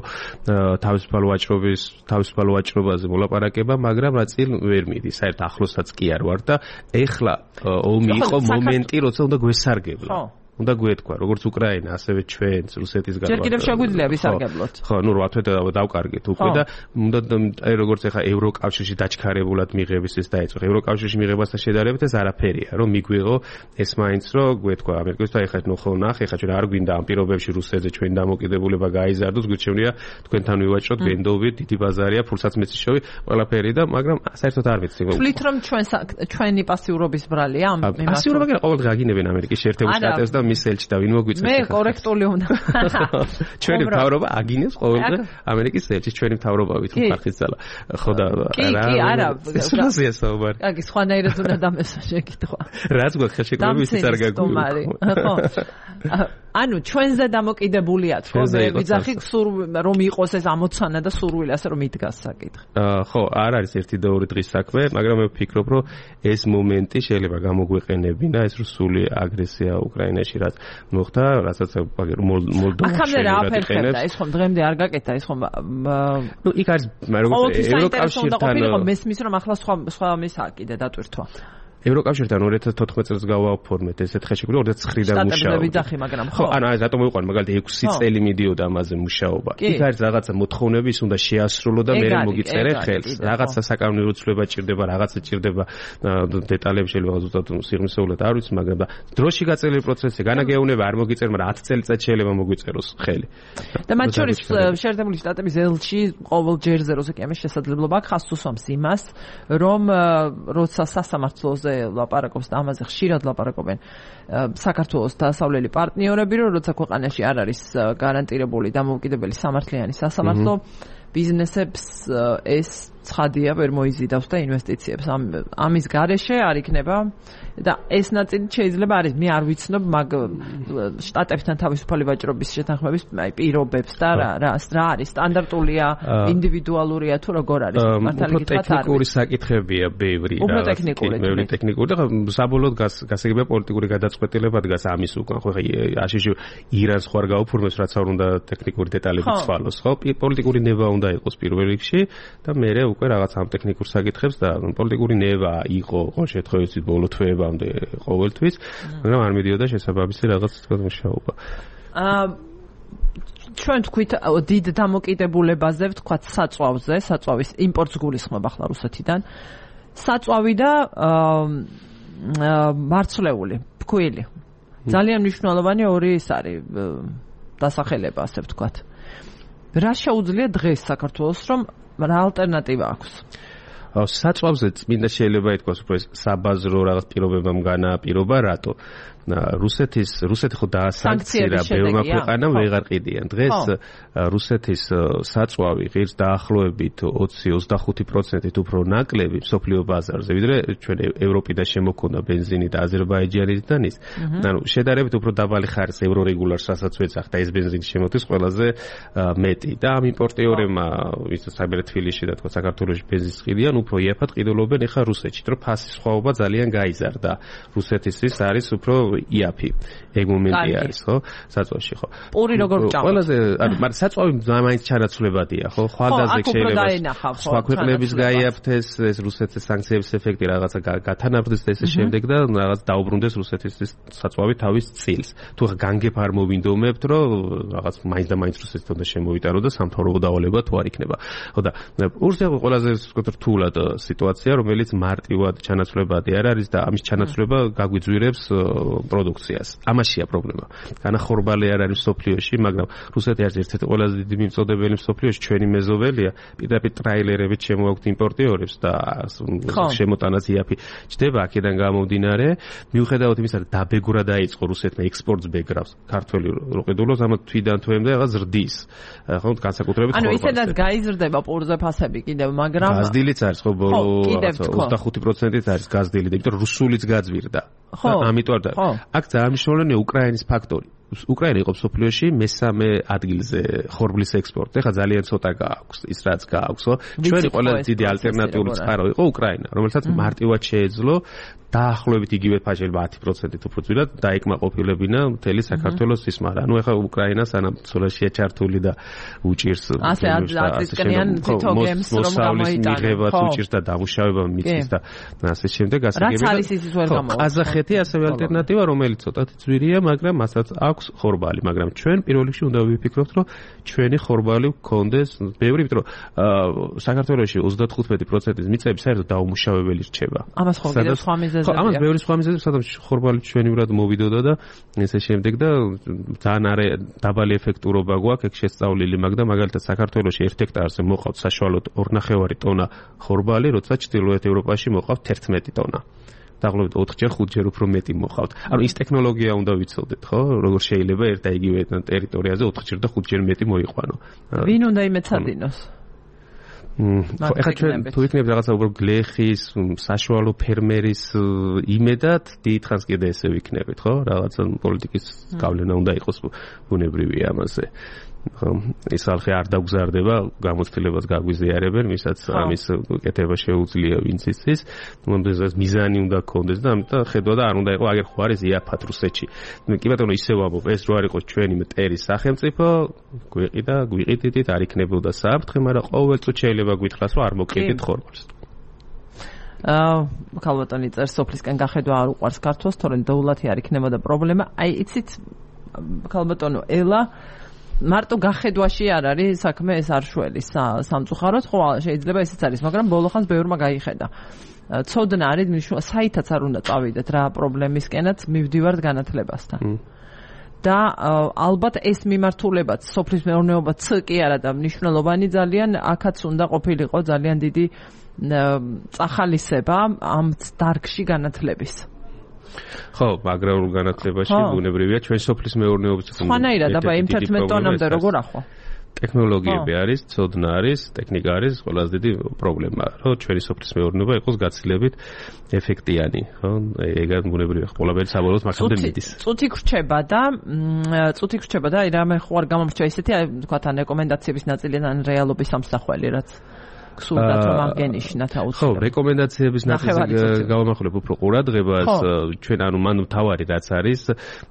თავისუფალ ვაჭრობაზე მოლაპარაკება, მაგრამ რა წინ ვერ მიდის. საერთოდ ახლოსაც კი არ ვარ და ეხლა ომი იყო მომენტი, როცა უნდა გვესარგებლო. უნდა გვეთქვა, როგორც უკრაინა, ასევე ჩვენც რუსეთის გარდა. ჯერ კიდევ შეგვიძლია ვისარგებლოთ. ხო, ნუ 8 თვე დავკარგეთ უკვე და უნდა როგორც ეხა ევროკავშირში დაჩქარებულად მიღების ეს დაიწყო. ევროკავშირში მიღებასთან შედარებით ეს არაფერია, რომ მიგვიღო ეს მაინც რომ გვეთქვა ამერიკას და ეხა ნუ ხო ნახე, ეხა ჩვენ არ გვინდა ამ პირობებში რუსეთზე ჩვენ დამოკიდებულება გაიზარდოს, გვირჩევნია თქვენთან ვივაჭროთ, ბენდოვით, დიდი ბაზარია, ფულსაც მეციშოვი, ყველაფერი და მაგრამ საერთოდ არ ვიცი. თვლით რომ ჩვენი პასიურობის ბრალია ამ იმას. პასიურობა კი ყოველდღე აგინებენ ამერიკის შეერთებულ შტატებს და მის ელჩი და ვინ მოგვიწევს? მე კორექტული უნდა. ჩვენი მთავრობა აგინებს ყოველდღე ამერიკის ელჩის, ჩვენი მთავრობავით ხარხის ძალა. ხო და რა? კი, არა. სულაზია საუბარი. კი, სხვანაირად უნდა დამესვა შეკითხვა. რაც გვაქვს ხელშეკრულების ის არ გაგვიყვება. ხო. ანუ ჩვენზე დამოკიდებულია თქო, ვიძახი რომ იყოს ეს ამოცანა და სურვილი ასე რომ იდგას საკითხი. ხო, არ არის ერთი და ორი დღის საქმე, მაგრამ მე ვფიქრობ, რომ ეს მომენტი შეიძლება გამოგვეყენებინა ეს რუსული აგრესია უკრაინაში, რაც მოხდა, რასაც მოლდოვაში. აქამდე რა აფერხებდა, ეს ხომ დღემდე არ გაკეთა, ეს ხომ ნუ იქ არის, მაგრამ როგორც ევროკავშირთან მესმის რომ ახლა სხვა მისაა კიდე დატვირთვა. ევროკავშირთან 2014 წელს გავაფორმეთ ესეთ ხელშეკრულება 2009-დან მუშაობდა. მაგრამ ხო, ანუ ეს რატომ მოვიყვანე, მაგალითად 6 წელი მიდიოდა ამაზე მუშაობა. იქ არის რაღაცა მოთხოვნები, ის უნდა შეასრულო და მე მოგიწერე ხელს. რაღაცა საკანონმდებლო ცვლილება ჭირდება, რაღაცა ჭირდება დეტალები შეიძლება ზუსტად სიღრმისეულად არ ვიცი, მაგრამ დროში გაწეული პროცესი, განაგეუნება არ მოგიწერე, მაგრამ 10 წელიწად შეიძლება მოგვიწეროს ხელი. და მათ შორის შეერთებული შტატების ელჩი ყოველ ჯერზე როცა კი ამის შესაძლებლობა აქვს, ხაზს უსვამს იმას, რომ როცა სასამართლოზე ლაპარაკობს და ამაზე ხშირად ლაპარაკობენ საქართველოს დასავლელი პარტნიორები, რომ როცა ქვეყანაში არ არის გარანტირებული დამოუკიდებელი სამართლიანი სასამართლო, ბიზნესებს ეს ცხადია ვერ მოიზიდავს და ინვესტიციებს ამის გარეშე არ იქნება და ეს ნაწილი შეიძლება არის მე არ ვიცნობ მაგ შტატებთან თავისუფალი ვაჭრობის შეთანხმების პირობებს და რა არის სტანდარტულია ინდივიდუალურია თუ როგორ არის მართალი გითხრათ არის ტექნიკური საკითხებია ბევრი უფრო ტექნიკური და საბოლოოდ გასაგებია პოლიტიკური გადაწყვეტილება დგას ამის უკან ხო აშიში ირანს ხوار გაუფორმებს რაც არ უნდა ტექნიკური დეტალები ცვალოს ხო პოლიტიკური ნება უნდა იყოს პირველ რიგში და მერე უკვე რაღაც ამ ტექნიკურ საკითხებს და პოლიტიკური ნება იყო ყოველ შემთხვევაში ბოლო თვეებამდე ყოველთვის, მაგრამ არ მიდიოდა შესაბამისი რაღაც თქვა მუშაობა. ჩვენ თქვით დიდ დამოკიდებულებაზე ვთქვათ საწვავზე, საწვავის იმპორტს გულისხმობ ახლა რუსეთიდან. საწვავი და მარცვლეული, ფქვილი. ძალიან მნიშვნელოვანი ორი ის არის დასახელება, ასე ვთქვათ. რა შეუძლია დღეს საქართველოს რომ რა ალტერნატივა აქვს? საწვავზე წმინდა შეიძლება ითქვას უფრო საბაზრო რაღაც პირობებამ განაპირობა, რატო? რუსეთი ხო დაასანქცირა ბევრმა ქვეყანამ ვეღარ ყიდიან. დღეს რუსეთის საწვავი ღირს დაახლოებით 20-25% უფრო ნაკლები მსოფლიო ბაზარზე, ვიდრე ჩვენ ევროპიდან შემოქონდა ბენზინი და აზერბაიჯანიდან ის. ანუ შედარებით უფრო დაბალი ხარისხის ევრორეგულარს რასაც ვეძახდა ეს ბენზინი შემოდის ყველაზე მეტი და ამ იმპორტიორებმა ვისაც საერთოდ თბილისში და თქო საქართველოში ბენზინს ყიდიან, უფრო იაფად ყიდულობენ ეხა რუსეთში, რომ ფასის სხვაობა ძალიან გაიზარდა. რუსეთისთვის არის უფრო იაფი ეგ მომენტი არის ხო საწვავში ხო პური როგორ ჭამს ყველაზე მაგრამ საწვავი მაინც ჩანაცვლებადია ხო ხვალდაზე შეიძლება სხვა ქვეყნების გაიაფთეს ეს რუსეთის სანქციების ეფექტი რაღაცა გათანაბრდეს და ესე შემდეგ და რაღაც დაუბრუნდეს რუსეთის საწვავი თავის წილს თუ განგებ არ მოვინდომებთ რომ რაღაც მაინც და მაინც რუსეთს უნდა შემოვიტანო და სამთავრობო დავალება თუ არ იქნება ხო და პურზე ყველაზე რთულად სიტუაცია რომელიც მარტივად ჩანაცვლებადი არ არის და ამის ჩანაცვლება გაგვიძვირებს პროდუქციას. ამაშია პრობლემა. განახორბალი არ არის სოფლიოში, მაგრამ რუსეთი არის ერთ-ერთი ყველაზე დიდი მიმწოდებელი სოფლიოში, ჩვენი მეზობელია, პირდაპირ ტრაილერებით შემოაქვთ იმპორტიორებს და შემოტანაც იაფი ჩდება აქედან გამომდინარე, მიუხედავად იმისა, რომ დაბეგვრა დაიწყო რუსეთმა ექსპორტს ბეგრავს, ქართველი რო ყიდულობს, ამათ თვიდან თვემდე რაღაც ზრდის. ხო, განსაკუთრებით ანუ ისედაც გაიზრდება პურზე ფასები კიდევ, მაგრამ გაზდილიც არის ხო ბოლო 25%-ით არის გაზდილი და იმიტომ რუსულიც გაძვირდა. ხო, ამიტომ აქ ძალიან მნიშვნელოვანია უკრაინის ფაქტორი. უკრაინა იყო სოფლიოში მესამე ადგილზე ხორბლის ექსპორტი. ეხლა ძალიან ცოტა გააქვს ის რაც გააქვს, ხო? ჩვენი ყველაზე დიდი ალტერნატიული წყარო იყო უკრაინა, რომელსაც მარტივად შეეძლო დაახლოებით იგივე ფაშელება 10%-ით უფრო ძვირად დაიკმაყოფილებინა მთელი საქართველოს სისმარა. ანუ ეხლა უკრაინა სანამ ცოლაშია ჩართული და უჭირს ასე აწისკნიან თითო გემს რომ გამოიტანოს. უჭირს და დამუშავება მიწის და ასე შემდეგ გასაგებია. რაც არის ისიც ვერ გამოვა. ყაზახეთი ასევე ალტერნატივა, რომელიც ცოტათი ძვირია, მაგრამ მასაც აქვს ხორბალი, მაგრამ ჩვენ პირველ რიგში უნდა ვიფიქროთ, რომ ჩვენი ხორბალი გქონდეს ბევრი, იმიტომ რომ საქართველოში 35%-ის მიწები საერთოდ დაუმუშავებელი რჩება. ამას ხო კიდევ სხვა მიზეზებია. ხო, ამას ბევრი სხვა მიზეზია, სადაც ხორბალი ჩვენივრად მოვიდოდა და ესე შემდეგ და ძალიან დაბალი ეფექტურობა გვაქვს ეგ შესწავლილი, მაგრამ მაგალითად საქართველოში 1 ჰექტარზე მოყავთ საშუალოდ 2.5 ტონა ხორბალი, როცა ჩრდილოეთ ევროპაში მოყავთ 11 ტონა. დაახლოებით 4-ჯერ 5-ჯერ უფრო მეტი მოყავთ. ანუ ის ტექნოლოგია უნდა ვიცოდეთ, ხო? როგორ შეიძლება ერთ და იგივე ტერიტორიაზე 4-ჯერ და 5-ჯერ მეტი მოიყვანო. ვინ უნდა იმეცადინოს? ხო, ეხლა ჩვენ თუ იქნება რაღაცა უბრალოდ გლეხის, საშუალო ფერმერის იმედად, დიდხანს კიდე ესე ვიქნებით, ხო? რაღაცა პოლიტიკის გავლენა უნდა იყოს ბუნებრივია ამაზე. ის ხალხი არ დაგზარდება, გამოცდილებას გაგვიზიარებენ, ვისაც ამის კეთება შეუძლია ვინც იცის, მომდენზეც მიზანი უნდა გქონდეს და ამიტომ ხედვა და არ უნდა იყოს აგერ ხო არის იაფად რუსეთში. კი ბატონო, ისე ვამბობ, ეს რო არ იყოს ჩვენი მტერის სახელმწიფო, გვიყიდით, არ იქნებოდა საფრთხე, მაგრამ ყოველწუთი შეიძლება გვითხრას, რომ არ მოკიდით ხორბალს. ქალბატონი წერს სოფლისკენ გახედვა არ უყვარს ქართულს, თორემ დოულათი არ იქნებოდა პრობლემა. აი, იცით, ქალბატონო ელა მარტო გახედვაში არ არის საქმე, ეს არ შველის სამწუხაროდ, ხო შეიძლება ესეც არის, მაგრამ ბოლო ხანს ბევრმა გაიხედა. ცოდნა არის, საითაც არ უნდა წავიდეთ რა პრობლემისკენაც მივდივართ განათლებასთან. და ალბათ ეს მიმართულებაც სოფლის მეურნეობაც კი არა და მნიშვნელოვანი ძალიან აქაც უნდა ყოფილიყო ძალიან დიდი წახალისება ამ დარგში განათლების. ხო, აგრარულ განათლებაში ბუნებრივია ჩვენ სოფლის მეურნეობის სხვანაირად, აბა იმ 11 ტონამდე როგორ ახლა? ტექნოლოგიები არის, ცოდნა არის, ტექნიკა არის, ყველაზე დიდი პრობლემა, რომ ჩვენი სოფლის მეურნეობა იყოს გაცილებით ეფექტიანი, ხო? ეგ ბუნებრივია, ყველაფერი საბოლოოდ მაგამდე მიდის. წუთი ხრჩება და აი რამე ხო არ გამომრჩა ისეთი, აი თქვათ ან რეკომენდაციების ნაწილი ან რეალობის სამსახველი, რაც გსურდათ რომ აღგენიშნათ აუცილებლად. ხო, რეკომენდაციების ნაწილს გავამახვილებ უფრო ყურადღებას, ჩვენ ანუ მან თავარი რაც არის,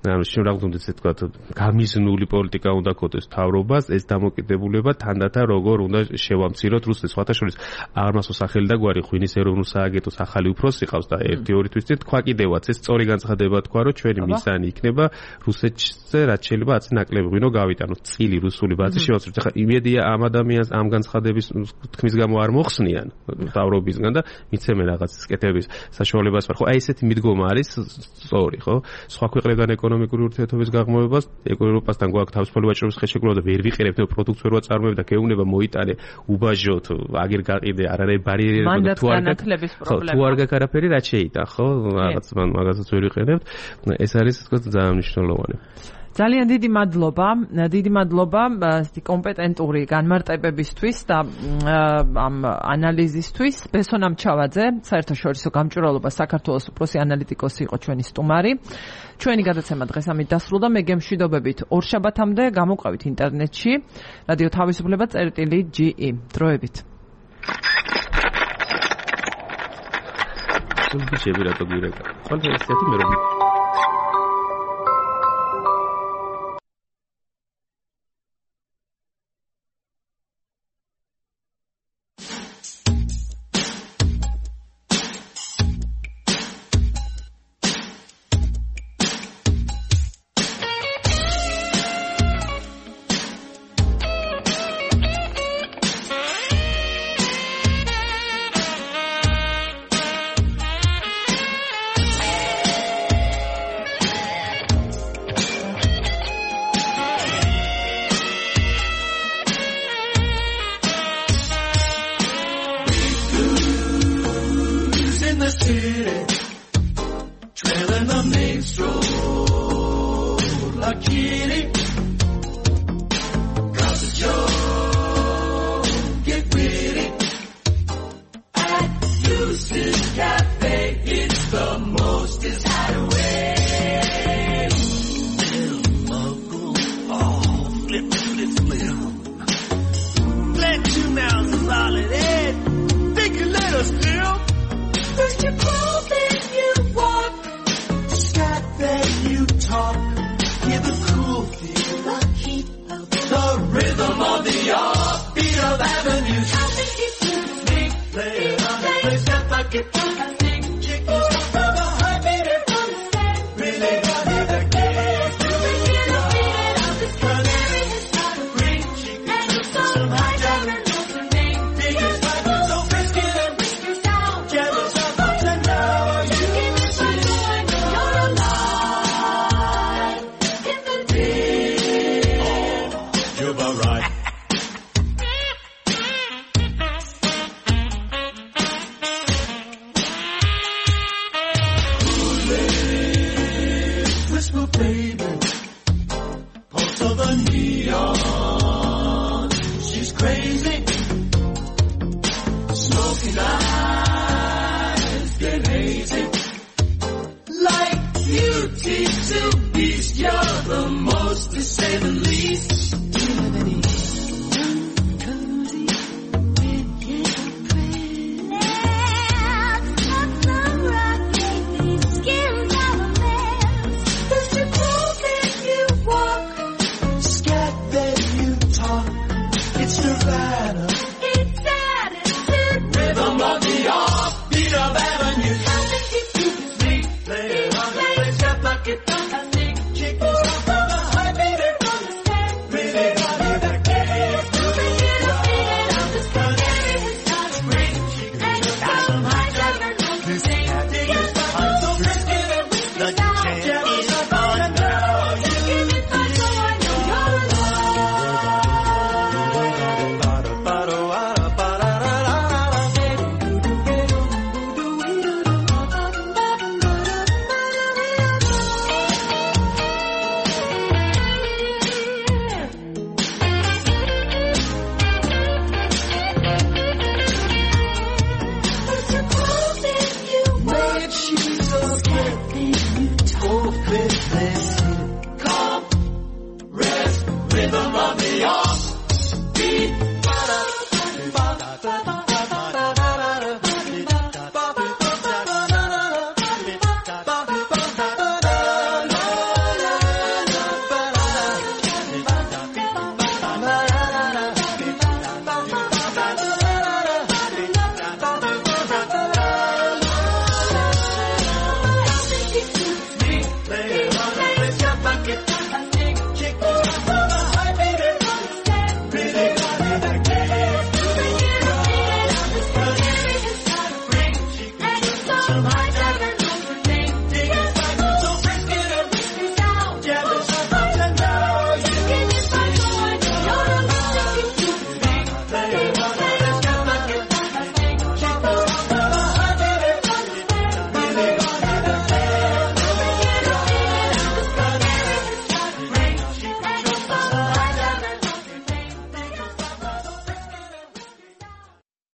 ანუ შემოგვდომთ ესე თქვა, გამიზნული პოლიტიკა უნდა ქონდეს თავრობას, ეს დამოკიდებულება თანდათან როგორ უნდა შევამციროთ რუსეთს. სხვათა შორის აღმასო სახელი და გვარი ღვინის ეროვნულ სააგენტოს ახალი უფროსი ყავს და 1-2 თვის წინ თქვა კიდევაც ეს სწორი განცხადება თქვა, რომ ჩვენი მისანი იქნება რუსეთზე რაც შეიძლება აცი ნაკლები ღვინო გავიტანოთ. წილი რუსული ბაზი შევაცვლით. ახლა იმედია ამ ადამიანს ამ განცხადების თქმის გამო არ მოხსნიან თავრობისგან და მიცემენ რაღაც სკეთების საშუალებას. ხო, აი ესეთი მიდგომა არის სწორი, ხო? სხვა ქვეყნებთან ეკონომიკური ურთიერთობის გაღმოვებას, ევროპასთან გვაქვს თავისუფალი ვაჭრობის ხელშეკრულება და ვერ ვიყენებთ პროდუქტს ვერ ვაწარმოებ და გეუბნება მოიტანე უბაჟოთ, აგერ გაყიდე, არ არის ბარიერები თუ არ გაქვს, თუ არ გაქვს არაფერი რაც შეიტან, ხო? რაღაც მაგასაც ვერ ვიყენებთ. ეს არის თქო ძალიან მნიშვნელოვანი. ძალიან დიდი მადლობა ასეთი კომპეტენტური განმარტებებისთვის და ამ ანალიზისთვის. ბესონ ამჩავაძე, საერთაშორისო გამჭვირვალობა საქართველოს უფროსი ანალიტიკოსი იყო ჩვენი სტუმარი. ჩვენი გადაცემა დღეს ამით დასრულდა. მე გემშვიდობებით ორშაბათამდე გამოყვებით ინტერნეტში. რადიო თავისუფლება წერტილი.ge. დროებით. სულბიჩები რატო გირეკა? ხოლმე ესეთი მე რომ Smoking eyes get hazy.